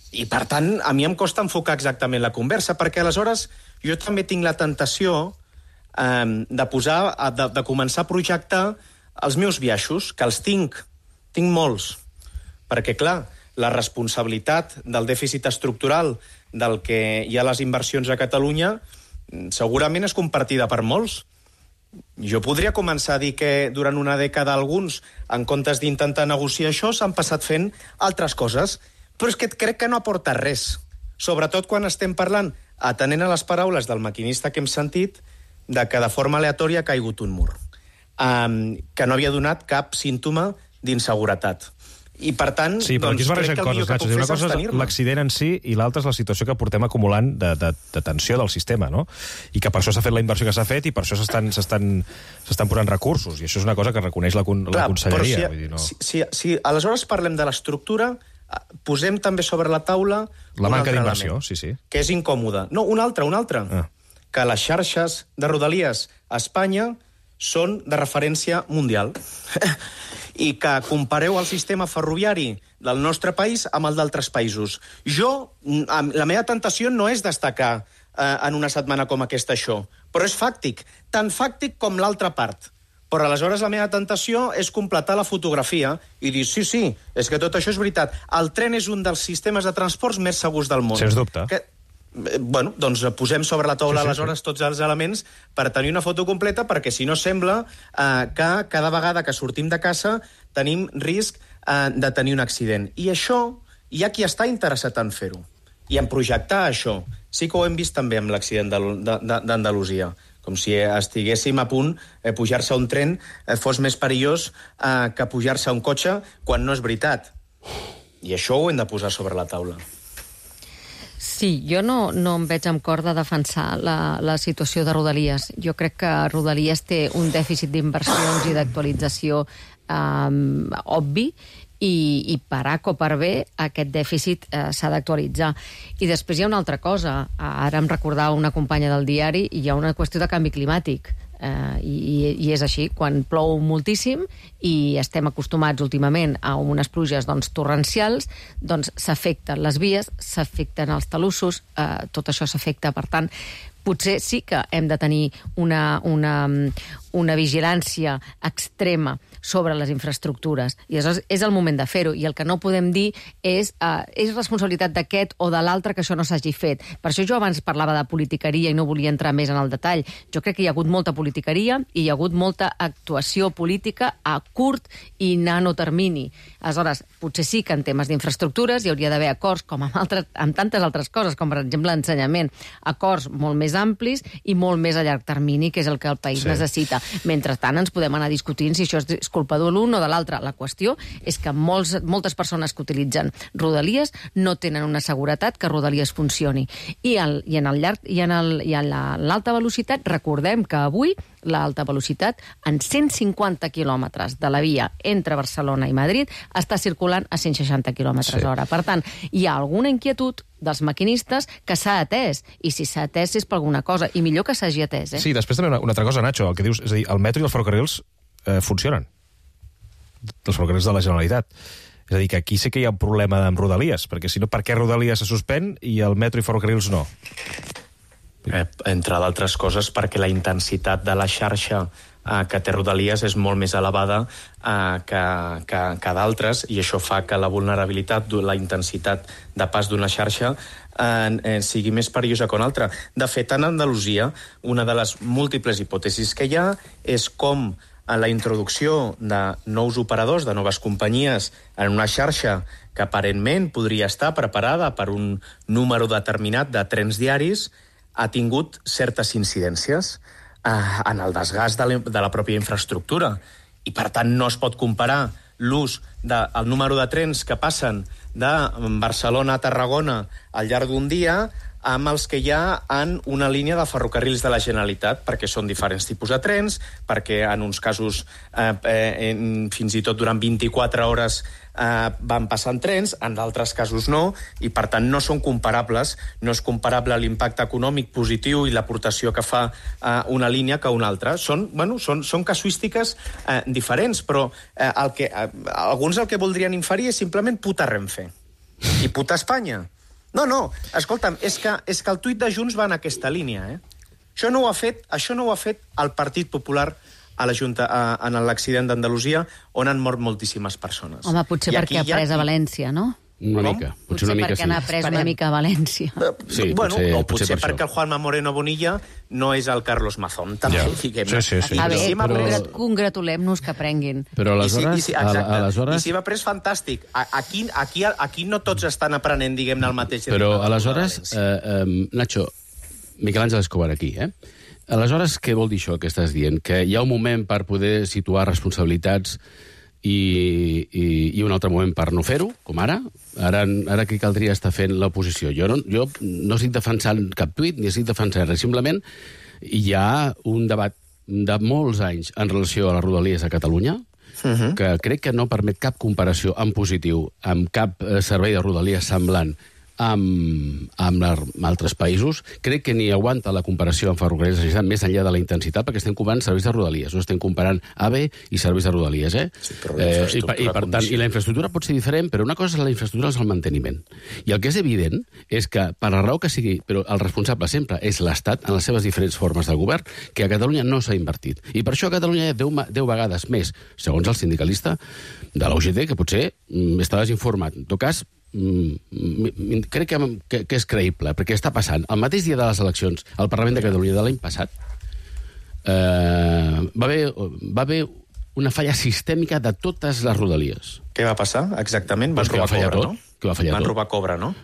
I, per tant, a mi em costa enfocar exactament la conversa, perquè aleshores jo també tinc la tentació eh, de, posar, de, de començar a projectar els meus biaixos, que els tinc, tinc molts. Perquè, clar, la responsabilitat del dèficit estructural del que hi ha les inversions a Catalunya segurament és compartida per molts. Jo podria començar a dir que durant una dècada alguns, en comptes d'intentar negociar això, s'han passat fent altres coses. Però és que crec que no aporta res. Sobretot quan estem parlant, atenent a les paraules del maquinista que hem sentit, de que de forma aleatòria ha caigut un mur, um, que no havia donat cap símptoma d'inseguretat. I, per tant, sí, però aquí es barregen coses, Nacho. Una cosa és l'accident en si i l'altra és la situació que portem acumulant de, de, de tensió del sistema, no? I que per això s'ha fet la inversió que s'ha fet i per això s'estan posant recursos. I això és una cosa que reconeix la, la conselleria. Si, vull dir, no? si, si, si aleshores parlem de l'estructura, posem també sobre la taula la manca d'inversió, sí, sí. Que és incòmode. No, un altre, un altre. Ah. Que les xarxes de Rodalies a Espanya són de referència mundial. I que compareu el sistema ferroviari del nostre país amb el d'altres països. Jo, la meva tentació no és destacar eh, en una setmana com aquesta això, però és fàctic, tan fàctic com l'altra part. Però aleshores la meva tentació és completar la fotografia i dir, sí, sí, és que tot això és veritat. El tren és un dels sistemes de transports més segurs del món. Sens dubte. Que, bueno, doncs posem sobre la taula sí, sí, aleshores sí. tots els elements per tenir una foto completa, perquè si no sembla eh, que cada vegada que sortim de casa tenim risc eh, de tenir un accident. I això, hi ha qui està interessat en fer-ho i en projectar això. Sí que ho hem vist també amb l'accident d'Andalusia, com si estiguéssim a punt de eh, pujar-se a un tren eh, fos més perillós eh, que pujar-se a un cotxe, quan no és veritat. I això ho hem de posar sobre la taula. Sí, jo no, no em veig amb cor de defensar la, la situació de Rodalies. Jo crec que Rodalies té un dèficit d'inversions i d'actualització um, obvi i, i per A o per B aquest dèficit uh, s'ha d'actualitzar. I després hi ha una altra cosa. Ara em recordava una companya del diari i hi ha una qüestió de canvi climàtic. Uh, i, i és així, quan plou moltíssim i estem acostumats últimament a unes pluges doncs, torrencials, doncs s'afecten les vies, s'afecten els talussos, uh, tot això s'afecta. Per tant, potser sí que hem de tenir una, una, una vigilància extrema sobre les infraestructures. I aleshores és el moment de fer-ho. I el que no podem dir és uh, és responsabilitat d'aquest o de l'altre que això no s'hagi fet. Per això jo abans parlava de politiqueria i no volia entrar més en el detall. Jo crec que hi ha hagut molta politiqueria i hi ha hagut molta actuació política a curt i nano termini. Aleshores, potser sí que en temes d'infraestructures hi hauria d'haver acords, com amb, altres, amb tantes altres coses, com per exemple l'ensenyament, acords molt més amplis i molt més a llarg termini, que és el que el país sí. necessita. Mentrestant ens podem anar discutint si això és culpa de l'un o de l'altre. La qüestió és que molts, moltes persones que utilitzen Rodalies no tenen una seguretat que Rodalies funcioni. I, el, i en el llarg i en el, i en l'alta velocitat, recordem que avui l'alta velocitat en cent cinquanta quilòmetres de la via entre Barcelona i Madrid està circulant a cent seixanta quilòmetres hora. Sí. Per tant, hi ha alguna inquietud dels maquinistes que s'ha atès, i si s'ha atès és per alguna cosa, i millor que s'hagi atès. Eh? Sí, després també una, una altra cosa, Nacho, el que dius, és a dir, el metro i els ferrocarrils eh, funcionen. Els ferrocarrils de la Generalitat. És a dir, que aquí sí que hi ha un problema amb Rodalies, perquè si no, per què Rodalies se suspèn i el metro i ferrocarrils no? Eh, entre d'altres coses perquè la intensitat de la xarxa eh, que té Rodalies és molt més elevada eh, que, que, que d'altres, i això fa que la vulnerabilitat, la intensitat de pas d'una xarxa eh, eh, sigui més perillosa que una altra. De fet, en Andalusia, una de les múltiples hipòtesis que hi ha és com a la introducció de nous operadors, de noves companyies, en una xarxa que aparentment podria estar preparada per un número determinat de trens diaris, ha tingut certes incidències eh, en el desgast de la, de la pròpia infraestructura. I, per tant, no es pot comparar l'ús del número de trens que passen de Barcelona a Tarragona al llarg d'un dia amb els que hi ha en una línia de ferrocarrils de la Generalitat, perquè són diferents tipus de trens, perquè en uns casos eh, eh, fins i tot durant vint-i-quatre hores eh, van passant trens, en d'altres casos no, i per tant no són comparables, no és comparable l'impacte econòmic positiu i l'aportació que fa eh, una línia que una altra. Són, bueno, són, són casuístiques eh, diferents, però eh, el que, eh, alguns el que voldrien inferir és simplement puta Renfe i puta Espanya. No, no, escolta'm, és que, és que el tuit de Junts va en aquesta línia, eh? Això no ho ha fet, això no ho ha fet el Partit Popular a la Junta, a, en l'accident d'Andalusia, on han mort moltíssimes persones. Home, potser I perquè ha pres a València, no? Una Com? mica. Potser, potser una mica, perquè sí. n'ha pres una mica a València. Sí, bueno, potser, o potser, potser per perquè el Juanma Moreno Bonilla no és el Carlos Mazón, també. Ja. Sí, sí, sí. A I, veure, si però... congratulem-nos que prenguin. Però aleshores... I si, i si, exacte, aleshores... I si va pres, fantàstic. Aquí, aquí, aquí no tots estan aprenent, diguem-ne, el mateix. Però aleshores, eh, eh, Nacho, Miquel Àngel Escobar aquí, eh? Aleshores, què vol dir això que estàs dient? Que hi ha un moment per poder situar responsabilitats i, i, i un altre moment per no fer-ho, com ara. Ara, ara què caldria estar fent l'oposició? Jo no, jo no estic defensant cap tuit, ni estic defensant res. Simplement hi ha un debat de molts anys en relació a les Rodalies a Catalunya, uh-huh. que crec que no permet cap comparació en positiu amb cap servei de Rodalies semblant amb, amb, la, amb altres països. Crec que ni aguanta la comparació amb ferrocarrils de la Generalitat més enllà de la intensitat, perquè estem comparant serveis de Rodalies, no estem comparant A V E i serveis de Rodalies. Eh? Sí, eh, i, i, per tant, i la infraestructura pot ser diferent, però una cosa és la infraestructura, és el manteniment. I el que és evident és que, per la raó que sigui, però el responsable sempre és l'Estat en les seves diferents formes de govern, que a Catalunya no s'ha invertit. I per això a Catalunya hi ha deu, deu vegades més, segons el sindicalista de la U G T, que potser mm, està desinformat. En tot cas, Mm, crec que, que, que és creïble, perquè està passant. El mateix dia de les eleccions al Parlament de Catalunya de l'any passat eh, va, haver, va haver una falla sistèmica de totes les Rodalies. Què va passar exactament? Van Pues robar va coure, tot, no? Que va fallar Van tot. robar cobre, no?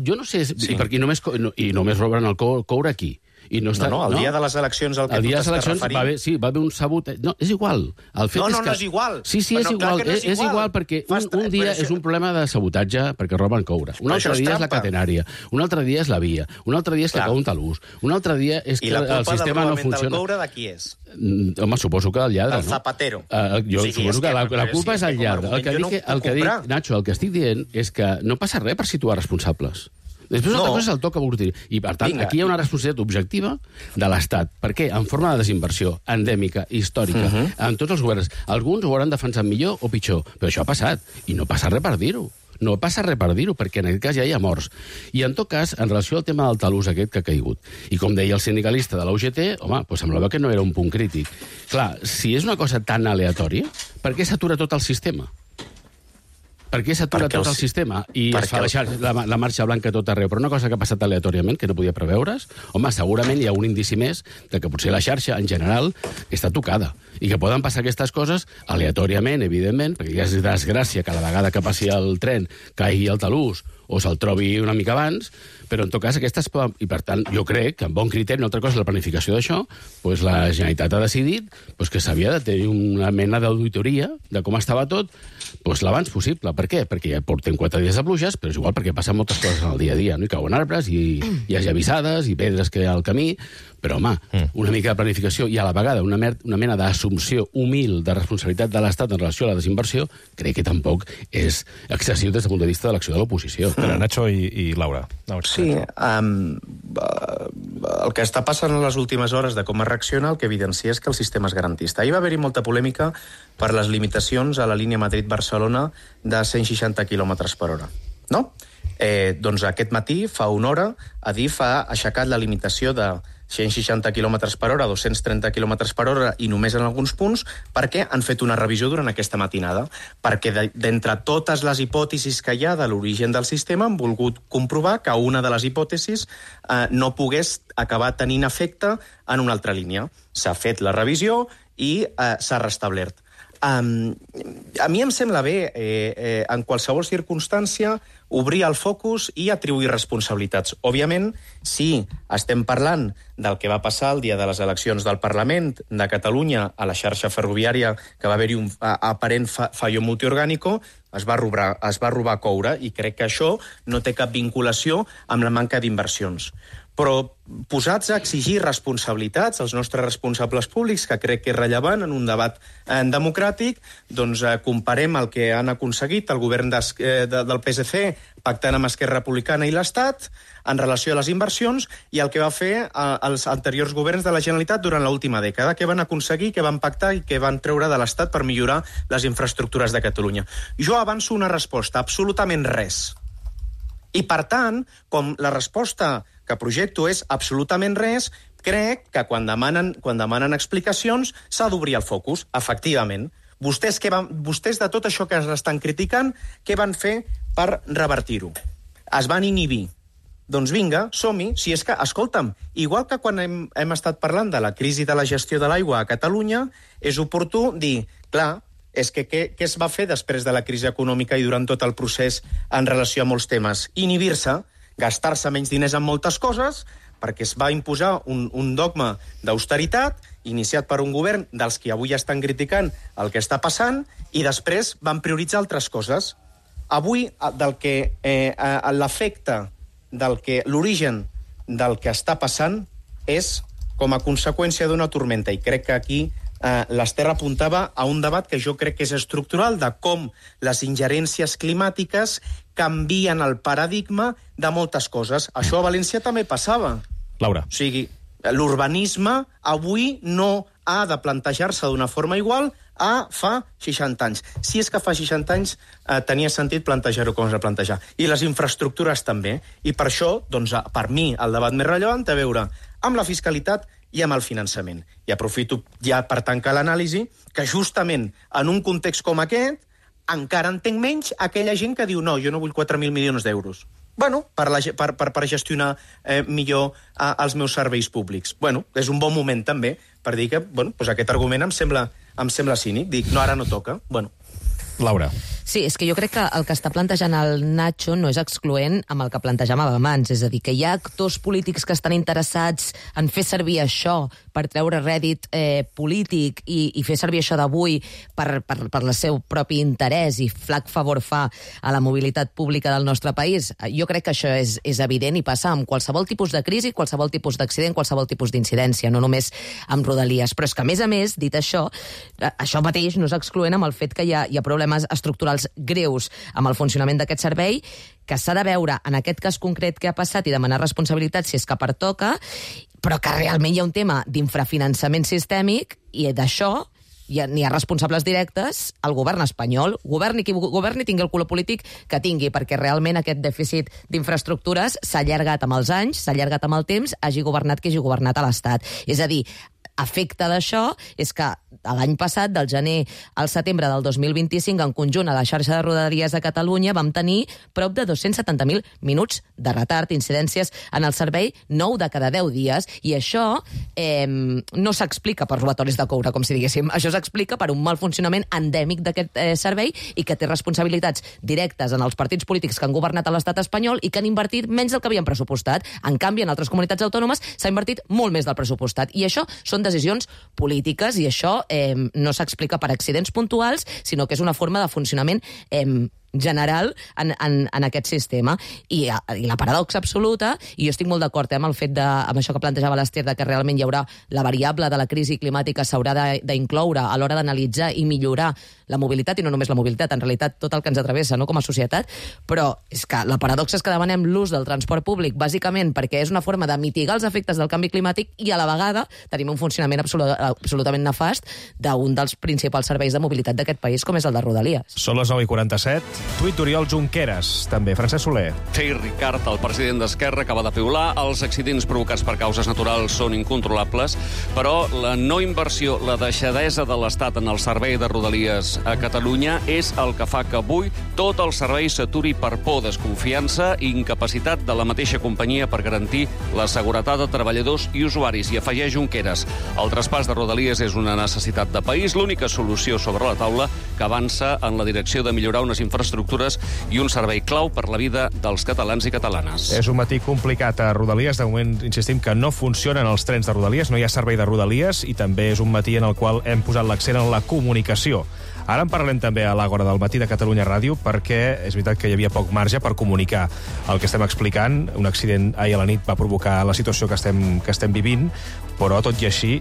Jo no sé, Sí. i, perquè només, no, i només roben el cou- coure aquí. I no, està, No, no, el dia de les eleccions al que el tu dia de les t'estàs eleccions referint. va haver, sí, va haver un sabot... No, és igual. El fet No, és no, que... no és igual. Sí, sí, és Però no, clar igual. que no és és, és igual. igual perquè un, Fas- un dia però això- és un problema de sabotatge perquè roben coure. Un Però altre això és dia és la trampa. catenària. Un altre dia és la via. Un altre dia és que Clar. cau un talús. Un altre dia és I que la el culpa del sistema no robament del funciona. coure de qui és? Mm, Home, suposo que el lladre, Del no? zapatero. Uh, jo O sigui, suposo és que que- la, la però culpa sí, és és el que com a lladre. El que, argument dic, jo no que- el ho que puc dic, comprar. Nacho, el que estic dient és que no passa res per situar responsabilitats. Després una No. altra cosa és el to que vol dir. I, per tant, Vinga. aquí hi ha una responsabilitat objectiva de l'Estat. Per què? En forma de desinversió endèmica, històrica, Mhm. en tots els governs. Alguns ho hauran defensat millor o pitjor, però això ha passat. I no passa res per dir-ho. No passa res per dir-ho, perquè en aquest cas ja hi ha morts. I en tot cas, en relació al tema del talús aquest que ha caigut, i com deia el sindicalista de la U G T, home, doncs semblava que no era un punt crític. Clar, si és una cosa tan aleatòria, per què s'atura tot el sistema? Per què s'atura Perquè tot els- el sistema i es perquè fa la, el- xar- la, la marxa blanca a tot arreu? Però una cosa que ha passat aleatòriament, que no podia preveure's, home, segurament hi ha un indici més de que potser la xarxa, en general, està tocada. I que poden passar aquestes coses aleatòriament, evidentment, perquè ja és desgràcia que a la vegada que passi el tren caigui el talús o se'l trobi una mica abans, però en tot cas aquestes poden... I per tant, jo crec que amb bon criteri, una altra cosa és la planificació d'això, doncs la Generalitat ha decidit doncs que s'havia de tenir una mena d'auditoria de com estava tot doncs l'abans possible. Per què? Perquè ja portem quatre dies de pluges, però és igual perquè passen moltes coses en el dia a dia, no? Hi cauen arbres, i hi ha llavissades, i pedres que hi ha al camí, però, home, una mica de planificació i a la vegada una, mer una mena d'assumpció humil de responsabilitat de l'Estat en relació a la desinversió, crec que tampoc és excessiu des del punt de vista de l'acció de l'oposició. Espera, Nacho i, i Laura. Laura. Sí, um, el que està passant en les últimes hores de com es reacciona el que evidencia és que el sistema és garantista. Ahir va haver-hi molta polèmica per les limitacions a la línia Madrid-Barcelona de cent seixanta quilòmetres per hora, no? Eh, doncs aquest matí, fa una hora, Adif ha aixecat la limitació de cent seixanta quilòmetres per hora, dos-cents trenta quilòmetres per hora i només en alguns punts, perquè han fet una revisió durant aquesta matinada, perquè d'entre totes les hipòtesis que hi ha de l'origen del sistema han volgut comprovar que una de les hipòtesis eh, no pogués acabar tenint efecte en una altra línia. S'ha fet la revisió i eh, s'ha restablert. Um, a mi em sembla bé, eh, eh, en qualsevol circumstància, obrir el focus i atribuir responsabilitats. Òbviament, si estem parlant del que va passar el dia de les eleccions del Parlament de Catalunya a la xarxa ferroviària, que va haver-hi un a, aparent fa, fallo multiorgànico, es va, robar, es va robar coure, i crec que això no té cap vinculació amb la manca d'inversions. Però posats a exigir responsabilitats als nostres responsables públics, que crec que és rellevant en un debat eh, democràtic, doncs eh, comparem el que han aconseguit el govern des, eh, de, del P S C pactant amb Esquerra Republicana i l'Estat en relació a les inversions i el que va fer eh, els anteriors governs de la Generalitat durant l'última dècada, que van aconseguir, que van pactar i que van treure de l'Estat per millorar les infraestructures de Catalunya. Jo avanço una resposta, absolutament res. I, per tant, com la resposta que projecto és absolutament res, crec que quan demanen, quan demanen explicacions s'ha d'obrir el focus, efectivament. Vostès, que van, vostès de tot això que estan criticant, què van fer per revertir-ho? Es van inhibir. Doncs vinga, som-hi. Si és que, escolta'm, igual que quan hem, hem estat parlant de la crisi de la gestió de l'aigua a Catalunya, és oportú dir, clar, és que què, què es va fer després de la crisi econòmica i durant tot el procés en relació a molts temes? Inhibir-se, gastar-se menys diners en moltes coses, perquè es va imposar un, un dogma d'austeritat iniciat per un govern dels que avui estan criticant el que està passant i després van prioritzar altres coses. Avui, del que eh, l'efecte, del que l'origen del que està passant és com a conseqüència d'una tormenta, i crec que aquí eh, l'Ester apuntava a un debat que jo crec que és estructural, de com les ingerències climàtiques canvien el paradigma de moltes coses. Això a València també passava. Laura. O sigui, l'urbanisme avui no ha de plantejar-se d'una forma igual a fa seixanta anys. Si és que fa seixanta anys eh, tenia sentit plantejar-ho com es va plantejar. I les infraestructures també. I per això, doncs, per mi, el debat més rellevant té a veure amb la fiscalitat i amb el finançament. I aprofito ja per tancar l'anàlisi que justament en un context com aquest encara entenc menys aquella gent que diu no, jo no vull quatre mil milions d'euros. Bueno, per, la, per, per, per gestionar eh, millor eh, els meus serveis públics. Bueno, és un bon moment també per dir que bueno, doncs aquest argument em sembla, em sembla cínic. Dic, no, ara no toca. Bueno. Laura. Sí, és que jo crec que el que està plantejant el Nacho no és excloent amb el que plantejàvem abans. És a dir, que hi ha actors polítics que estan interessats en fer servir això per treure rèdit eh, polític i, i fer servir això d'avui per, per, per el seu propi interès i flac favor fa a la mobilitat pública del nostre país. Jo crec que això és, és evident i passa amb qualsevol tipus de crisi, qualsevol tipus d'accident, qualsevol tipus d'incidència, no només amb Rodalies. Però és que, a més a més, dit això, això mateix no és excloent amb el fet que hi ha, hi ha problemes estructurals greus amb el funcionament d'aquest servei, que s'ha de veure en aquest cas concret que ha passat i demanar responsabilitat si és que pertoca, però que realment hi ha un tema d'infrafinançament sistèmic i d'això n'hi ha responsables directes al govern espanyol. Governi qui governi, tingui el color polític que tingui, perquè realment aquest dèficit d'infraestructures s'ha allargat amb els anys, s'ha allargat amb el temps, hagi governat qui hagi governat a l'Estat. És a dir, efecte d'això és que l'any passat, del gener al setembre del dos mil vint-i-cinc, en conjunt a la xarxa de Rodalies de Catalunya vam tenir prop de dos-cents setanta mil minuts de retard, incidències en el servei, nou de cada deu dies, i això eh, no s'explica per robatoris de coure, com si diguéssim. Això s'explica per un mal funcionament endèmic d'aquest eh, servei i que té responsabilitats directes en els partits polítics que han governat a l'estat espanyol i que han invertit menys del que havien pressupostat. En canvi, en altres comunitats autònomes s'ha invertit molt més del pressupostat. I això són decisions polítiques i això eh, no s'explica per accidents puntuals, sinó que és una forma de funcionament eh, general en, en, en aquest sistema. I, i la paradoxa absoluta, i jo estic molt d'acord eh, amb el fet de, amb això que plantejava l'Ester, de que realment hi haurà la variable de la crisi climàtica s'haurà d'incloure a l'hora d'analitzar i millorar la mobilitat, i no només la mobilitat, en realitat tot el que ens atravessa, no, com a societat, però és que la paradoxa és que demanem l'ús del transport públic bàsicament perquè és una forma de mitigar els efectes del canvi climàtic i a la vegada tenim un funcionament absolut, absolutament nefast d'un dels principals serveis de mobilitat d'aquest país, com és el de Rodalies. Són les nou i quaranta-set. Tuit d'Oriol Junqueras, també. Francesc Soler. Sí, Ricard, el president d'Esquerra, acaba de piular. Els accidents provocats per causes naturals són incontrolables, però la no inversió, la deixadesa de l'Estat en el servei de Rodalies a Catalunya és el que fa que avui tot el servei s'aturi per por, desconfiança i incapacitat de la mateixa companyia per garantir la seguretat de treballadors i usuaris. I afegeix Junqueras, el traspàs de Rodalies és una necessitat de país, l'única solució sobre la taula que avança en la direcció de millorar unes infraestructures i un servei clau per la vida dels catalans i catalanes. És un matí complicat a Rodalies. De moment insistim que no funcionen els trens de Rodalies, no hi ha servei de Rodalies, i també és un matí en el qual hem posat l'accent en la comunicació. Ara en parlem també a l'Àgora del matí de Catalunya Ràdio, perquè és veritat que hi havia poc marge per comunicar el que estem explicant. Un accident ahir a la nit va provocar la situació que estem, que estem vivint, però tot i així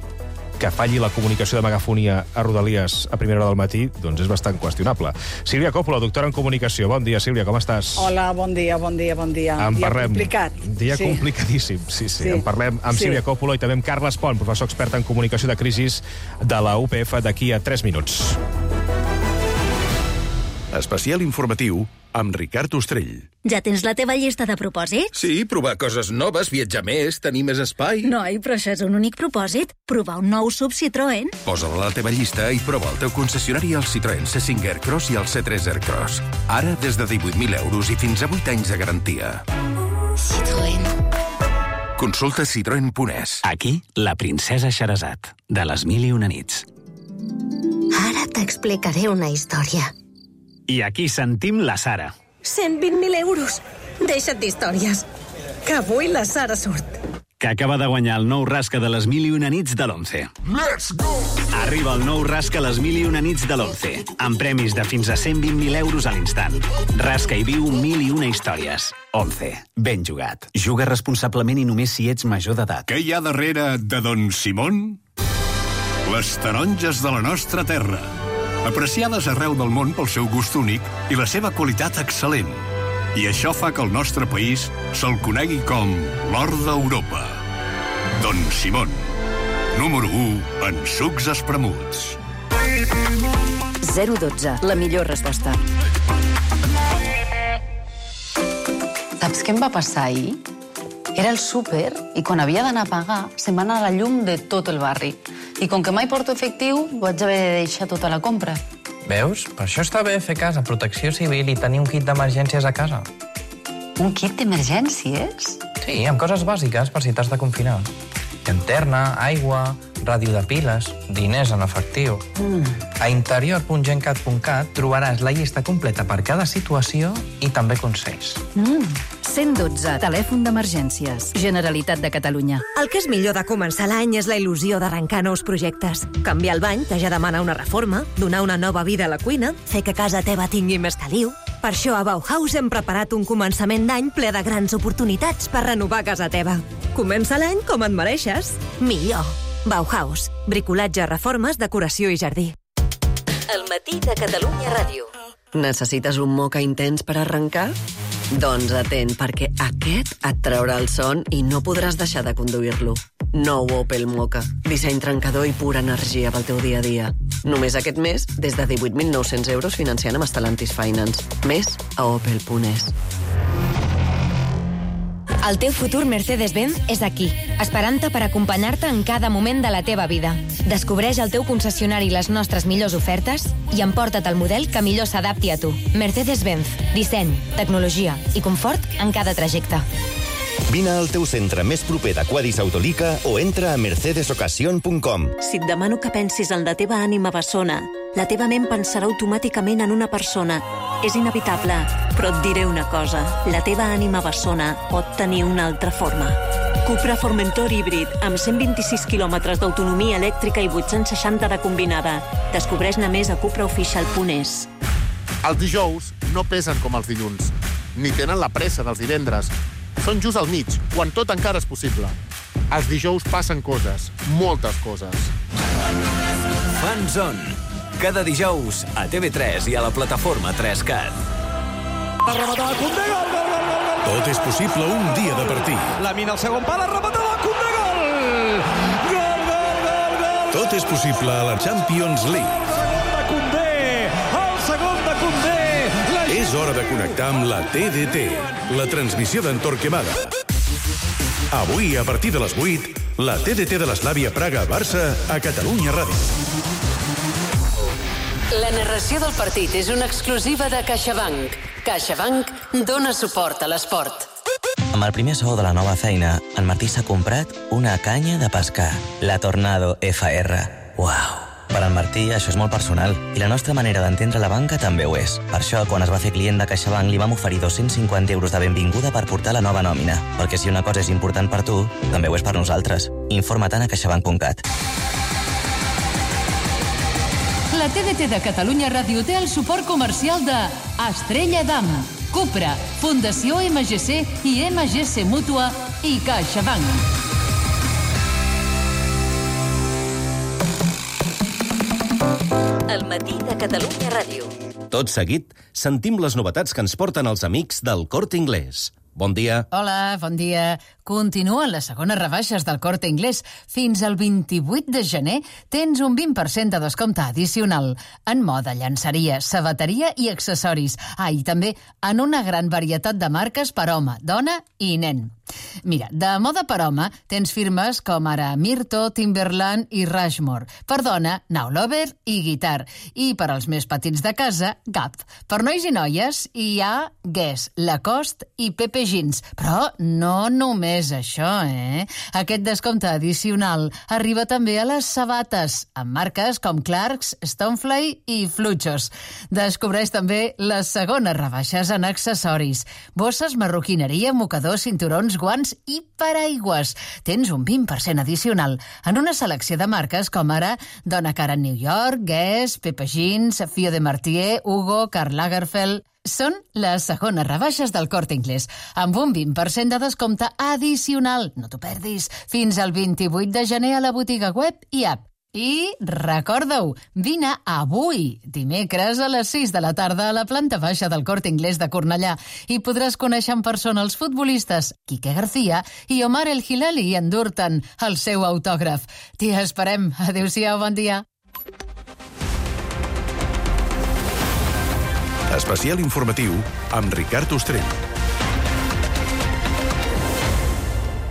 que falli la comunicació de megafonia a Rodalies a primera hora del matí, doncs és bastant qüestionable. Sílvia Coppola, doctora en comunicació. Bon dia, Sílvia, com estàs? Hola, bon dia, bon dia, bon dia. En dia parlem. complicat. Dia sí. complicadíssim, sí, sí, sí. En parlem amb sí. Sílvia Coppola i també amb Carles Pont, professor expert en comunicació de crisis de la U P F, d'aquí a tres minuts. Especial informatiu amb Ricard Ostrell. Ja tens la teva llista de propòsits? Sí, provar coses noves, viatjar més, tenir més espai. Noi, però això és un únic propòsit. Provar un nou sub Citroën. Posa-la a la teva llista i prova el teu concessionari al Citroën C cinc Aircross i al C tres Aircross. Ara des de divuit mil euros i fins a vuit anys de garantia. Citroën. Consulta citroen punt es. Aquí, la princesa Xerazat, de les mil i una nits. Ara t'explicaré una història. I aquí sentim la Sara. cent vint mil euros. Deixa't d'històries. Que avui la Sara surt. que acaba de guanyar el nou Rasca de les mil i una nits de l'Once. Let's go! Arriba el nou Rasca les mil i una nits de l'Once, amb premis de fins a cent vint mil euros a l'instant. Rasca i viu mil i una històries. Once. Ben jugat. Juga responsablement i només si ets major d'edat. Què hi ha darrere de Don Simón? Les taronges de la nostra terra. Apreciades arreu del món pel seu gust únic i la seva qualitat excel·lent. I això fa que el nostre país se'l conegui com l'or d'Europa. Don Simón, número u en sucs espremuts. zero dotze, la millor resposta. Saps què em va passar ahir? Era el súper i quan havia d'anar a pagar se'm va anar la llum de tot el barri. I com que mai porto efectiu, vaig haver de deixar tota la compra. Veus? Per això està bé fer cas a Protecció Civil i tenir un kit d'emergències a casa. Un kit d'emergències? Sí, amb coses bàsiques per si t'has de confinar. Llanterna, aigua, ràdio de piles, diners en efectiu. Mm. A interior punt gencat punt cat trobaràs la llista completa per cada situació i també consells. Mm. cent dotze, telèfon d'emergències. Generalitat de Catalunya. El que és millor de començar l'any és la il·lusió d'arrencar nous projectes. Canviar el bany, que ja demana una reforma, donar una nova vida a la cuina, fer que casa teva tingui més caliu. Per això a Bauhaus hem preparat un començament d'any ple de grans oportunitats per renovar casa teva. Comença l'any com et mereixes. Millor. Bauhaus. Bricolatge, reformes, decoració i jardí. El matí de Catalunya Ràdio. Necessites un moca intens per arrencar? Doncs atent, perquè aquest et traurà el son i no podràs deixar de conduir-lo. Nou Opel Moka. Disseny trencador i pura energia pel teu dia a dia. Només aquest mes, des de divuit mil nou-cents euros financiant amb Stellantis Finance. Més a opel punt es. El teu futur Mercedes-Benz és aquí, esperant-te per acompanyar-te en cada moment de la teva vida. Descobreix al teu concessionari les nostres millors ofertes i emporta't el model que millor s'adapti a tu. Mercedes-Benz. Disseny, tecnologia i confort en cada trajecte. Vine al teu centre més proper de Quadis Autolica o entra a mercedes occasion punt com. Si et demano que pensis en la teva ànima bessona, la teva ment pensarà automàticament en una persona. És inevitable, però et diré una cosa. La teva ànima bessona pot tenir una altra forma. Cupra Formentor híbrid, amb cent vint-i-sis quilòmetres d'autonomia elèctrica i vuit-cents seixanta de combinada. Descobreix-ne més a cupra oficial punt es. Els dijous no pesen com els dilluns, ni tenen la pressa dels divendres. Són just al mig, quan tot encara és possible. Els dijous passen coses, moltes coses. Fan Zone. Cada dijous a T V tres i a la plataforma tres cat. Tot és possible un dia de partir. La mina al segon pal, rematada, Koundé, gol! Gol, gol, gol, gol! Tot és possible a la Champions League. El segon de Koundé, el segon de Koundé! La... És hora de connectar amb la T D T, la transmissió d'en Torquemada. Avui, a partir de les vuit, la T D T de l'Eslàvia Praga-Barça a Catalunya Ràdio. La narració del partit és una exclusiva de CaixaBank. CaixaBank dona suport a l'esport. Amb el primer sou de la nova feina, en Martí s'ha comprat una canya de pescar, la Tornado F R. Uau! Per en Martí això és molt personal i la nostra manera d'entendre la banca també ho és. Per això, quan es va fer client de CaixaBank, li vam oferir dos-cents cinquanta euros de benvinguda per portar la nova nòmina. Perquè si una cosa és important per tu, també ho és per nosaltres. Informa-te'n a caixabank punt cat. La T D T de Catalunya Ràdio té el suport comercial de Estrella Damm, Cupra, Fundació M G C i M G C Mútua i CaixaBank. El matí de Catalunya Ràdio. Tot seguit, sentim les novetats que ens porten els amics del Corte Inglés. Bon dia. Hola, bon dia. Continuen les segones rebaixes del Corte Inglés. Fins al vint-i-vuit de gener tens un vint per cent de descompte addicional en moda, llançaria, sabateria i accessoris. Ah, i també en una gran varietat de marques per home, dona i nen. Mira, de moda per home tens firmes com ara Mirto, Timberland i Rushmore. Per dona, Now Lover i Guitar. I per als més petits de casa, Gap. Per nois i noies hi ha Guess, Lacoste i Pepe Jeans. Però no només això, eh? Aquest descompte addicional arriba també a les sabates, amb marques com Clarks, Stonefly i Fluchos. Descobreix també les segones rebaixes en accessoris. Bosses, marroquineria, mocadors, cinturons, guants i paraigües. Tens un vint per cent addicional en una selecció de marques com ara Donna Karan New York, Guess, Pepe Jeans, Fio de Martier, Hugo, Karl Lagerfeld... Són les segones rebaixes del Corte Inglés, amb un vint per cent de descompte addicional. No t'ho perdis. Fins al vint-i-vuit de gener a la botiga web i app. I recorda-ho, vine avui, dimecres a les sis de la tarda a la planta baixa del Corte Inglés de Cornellà i podràs conèixer en persona els futbolistes Quique García i Omar El Hilali i endur-te'n el seu autògraf. T'hi esperem. Adéu-siau, bon dia. Especial informatiu amb Ricard Ostrell.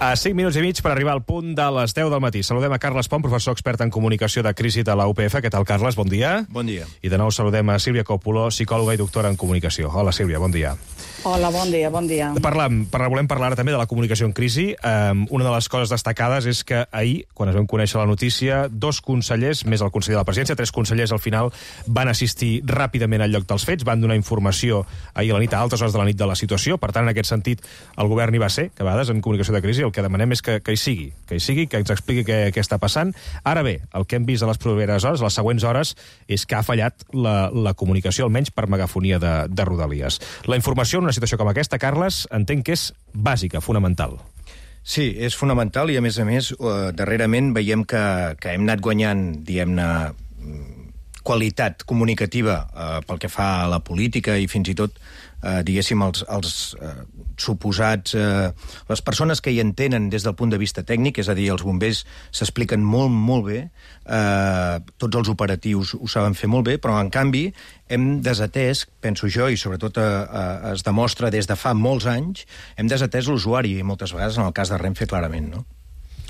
A cinc minuts i mig per arribar al punt de les deu del matí. Saludem a Carles Pont, professor expert en comunicació de crisi de la U P F. Què tal, Carles? Bon dia. Bon dia. I de nou saludem a Sílvia Còpolo, psicòloga i doctora en comunicació. Hola, Sílvia, bon dia. Hola, bon dia, bon dia. Parlam, parla, volem parlar també de la comunicació en crisi. Um, una de les coses destacades és que ahir, quan es vam conèixer la notícia, dos consellers, més el conseller de la presidència, tres consellers al final van assistir ràpidament al lloc dels fets, van donar informació ahir a la nit, a altes hores de la nit, de la situació. Per tant, en aquest sentit, el govern hi va ser, que a vegades en comunicació de crisi el que demanem és que, que hi sigui, que hi sigui, que ens expliqui què, què està passant. Ara bé, el que hem vist a les properes hores, a les següents hores, és que ha fallat la, la comunicació, almenys per megafonia de, de Rodalies. La informació en una situació com aquesta, Carles, entenc que és bàsica, fonamental. Sí, és fonamental i, a més a més, eh, darrerament veiem que, que hem anat guanyant, diguem-ne, qualitat comunicativa eh, pel que fa a la política i fins i tot, eh, diguéssim, els, els eh, suposats... Eh, les persones que hi entenen des del punt de vista tècnic, és a dir, els bombers s'expliquen molt, molt bé, eh, tots els operatius ho saben fer molt bé, però, en canvi, hem desatès, penso jo, i sobretot eh, eh, es demostra des de fa molts anys, hem desatès l'usuari, i moltes vegades, en el cas de Renfe, clarament, no?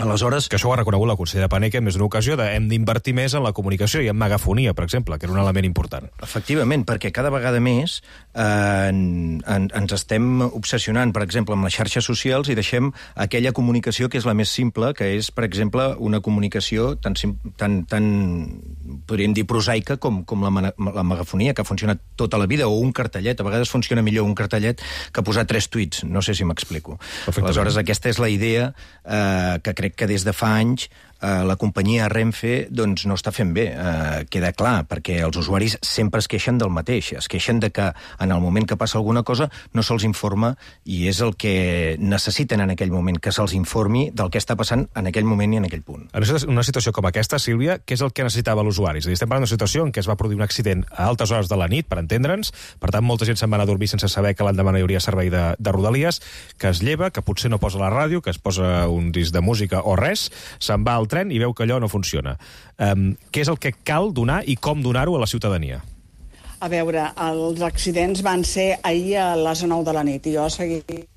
Aleshores... Que això ho ha reconegut la consellera Paneque en més d'una ocasió, de hem d'invertir més en la comunicació i en megafonia, per exemple, que era un element important. Efectivament, perquè cada vegada més eh, en, en, ens estem obsessionant, per exemple, amb les xarxes socials i deixem aquella comunicació que és la més simple, que és, per exemple, una comunicació tan, tan, tan podríem dir, prosaica com, com la, la megafonia, que ha funcionat tota la vida, o un cartellet. A vegades funciona millor un cartellet que posar tres tuits. No sé si m'explico. Aleshores, aquesta és la idea eh, que crec que des de fa anys eh, la companyia Renfe doncs, no està fent bé. Eh, queda clar, perquè els usuaris sempre es queixen del mateix. Es queixen de que en el moment que passa alguna cosa no se'ls informa i és el que necessiten en aquell moment, que se'ls informi del que està passant en aquell moment i en aquell punt. En una situació com aquesta, Sílvia, què és el que necessitava l'usuari? És a dir, estem parlant d'una situació en què es va produir un accident a altes hores de la nit, per entendre'ns, per tant, molta gent se'n va anar a dormir sense saber que l'endemà no hi hauria servei de, de Rodalies, que es lleva, que potser no posa la ràdio, que es posa un disc de música o res, se'n va al tren i veu que allò no funciona. Um, què és el que cal donar i com donar-ho a la ciutadania? A veure, els accidents van ser ahir a les nou de la nit i jo seguia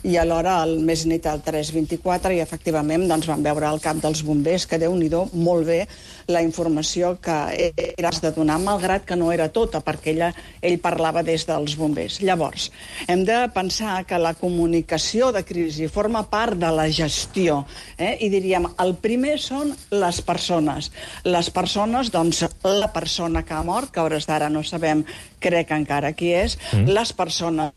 i alhora al més nit al tres vint-i-quatre i efectivament doncs, vam veure al cap dels bombers que Déu-n'hi-do molt bé la informació que eres de donar, malgrat que no era tota, perquè ella, ell parlava des dels bombers. Llavors, hem de pensar que la comunicació de crisi forma part de la gestió, eh? I diríem, el primer són les persones. Les persones, doncs, la persona que ha mort, que a hores d'ara no sabem, crec encara qui és, mm. les persones...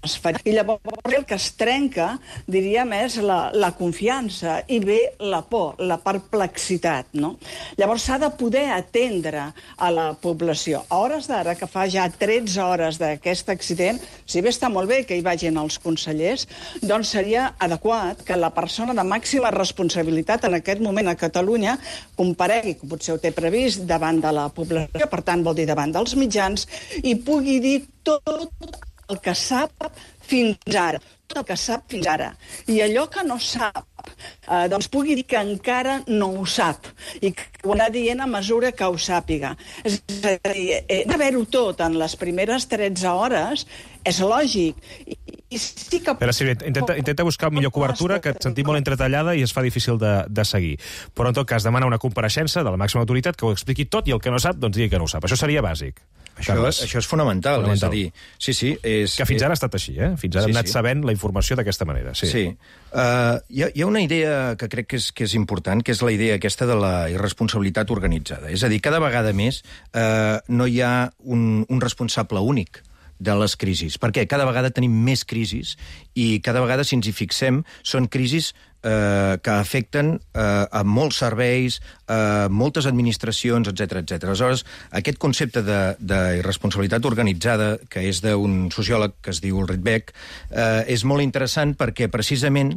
I llavors el que es trenca, diríem, és la, la confiança i ve la por, la perplexitat, no? Llavors s'ha de poder atendre a la població. A hores d'ara, que fa ja tretze hores d'aquest accident, si bé està molt bé que hi vagin els consellers, doncs seria adequat que la persona de màxima responsabilitat en aquest moment a Catalunya comparegui, que potser ho té previst, davant de la població, per tant vol dir davant dels mitjans, i pugui dir tot el que sap fins ara, tot el que sap fins ara. I allò que no sap, eh, doncs pugui dir que encara no ho sap i que ho anar dient a mesura que ho sàpiga. És a dir, eh, d'haver-ho tot en les primeres tretze hores és lògic. I, i sí que... Però, Sílvia, intenta, intenta buscar millor cobertura, que et sentim molt entretallada i es fa difícil de, de seguir. Però, en tot cas, demana una compareixença de la màxima autoritat que ho expliqui tot i el que no sap, doncs digui que no ho sap. Això seria bàsic. Això, això és fonamental, fonamental, és a dir... Sí, sí, és, que fins ara ha estat així, eh? Fins ara sí, hem anat sí. sabent la informació d'aquesta manera. Sí. sí. Uh, hi, ha, hi ha una idea que crec que és, que és important, que és la idea aquesta de la irresponsabilitat organitzada. És a dir, cada vegada més uh, no hi ha un, un responsable únic de les crisis. Perquè cada vegada tenim més crisis i cada vegada, si ens hi fixem, són crisis eh, que afecten eh, a molts serveis, a moltes administracions, etcètera, etcètera. Aleshores, aquest concepte de, de irresponsabilitat organitzada, que és d'un sociòleg que es diu Ulrich Beck, eh, és molt interessant perquè precisament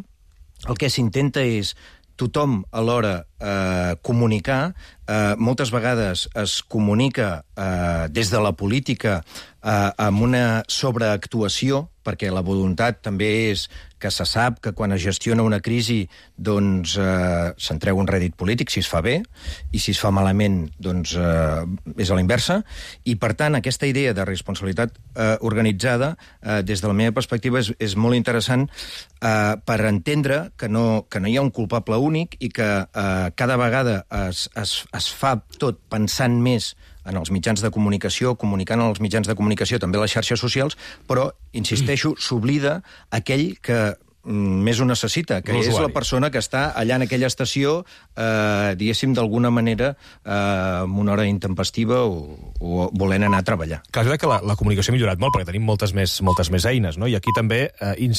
el que s'intenta és tothom alhora eh, comunicar. Eh, moltes vegades es comunica eh, des de la política eh, amb una sobreactuació, perquè la voluntat també és que se sap que quan es gestiona una crisi doncs eh, se'n treu un rèdit polític si es fa bé, i si es fa malament doncs eh, és a la inversa, i per tant aquesta idea de responsabilitat eh, organitzada eh, des de la meva perspectiva és, és molt interessant eh, per entendre que no, que no hi ha un culpable únic i que eh, cada vegada es, es, es fa tot pensant més en els mitjans de comunicació, comunicant en els mitjans de comunicació, també a les xarxes socials, però, insisteixo, s'oblida aquell que més ho necessita, que és la persona que està allà en aquella estació, eh, diguéssim, d'alguna manera, eh, amb una hora intempestiva o, o volent anar a treballar. Clar, és que la, la comunicació ha millorat molt, perquè tenim moltes més, moltes més eines, no? I aquí també eh,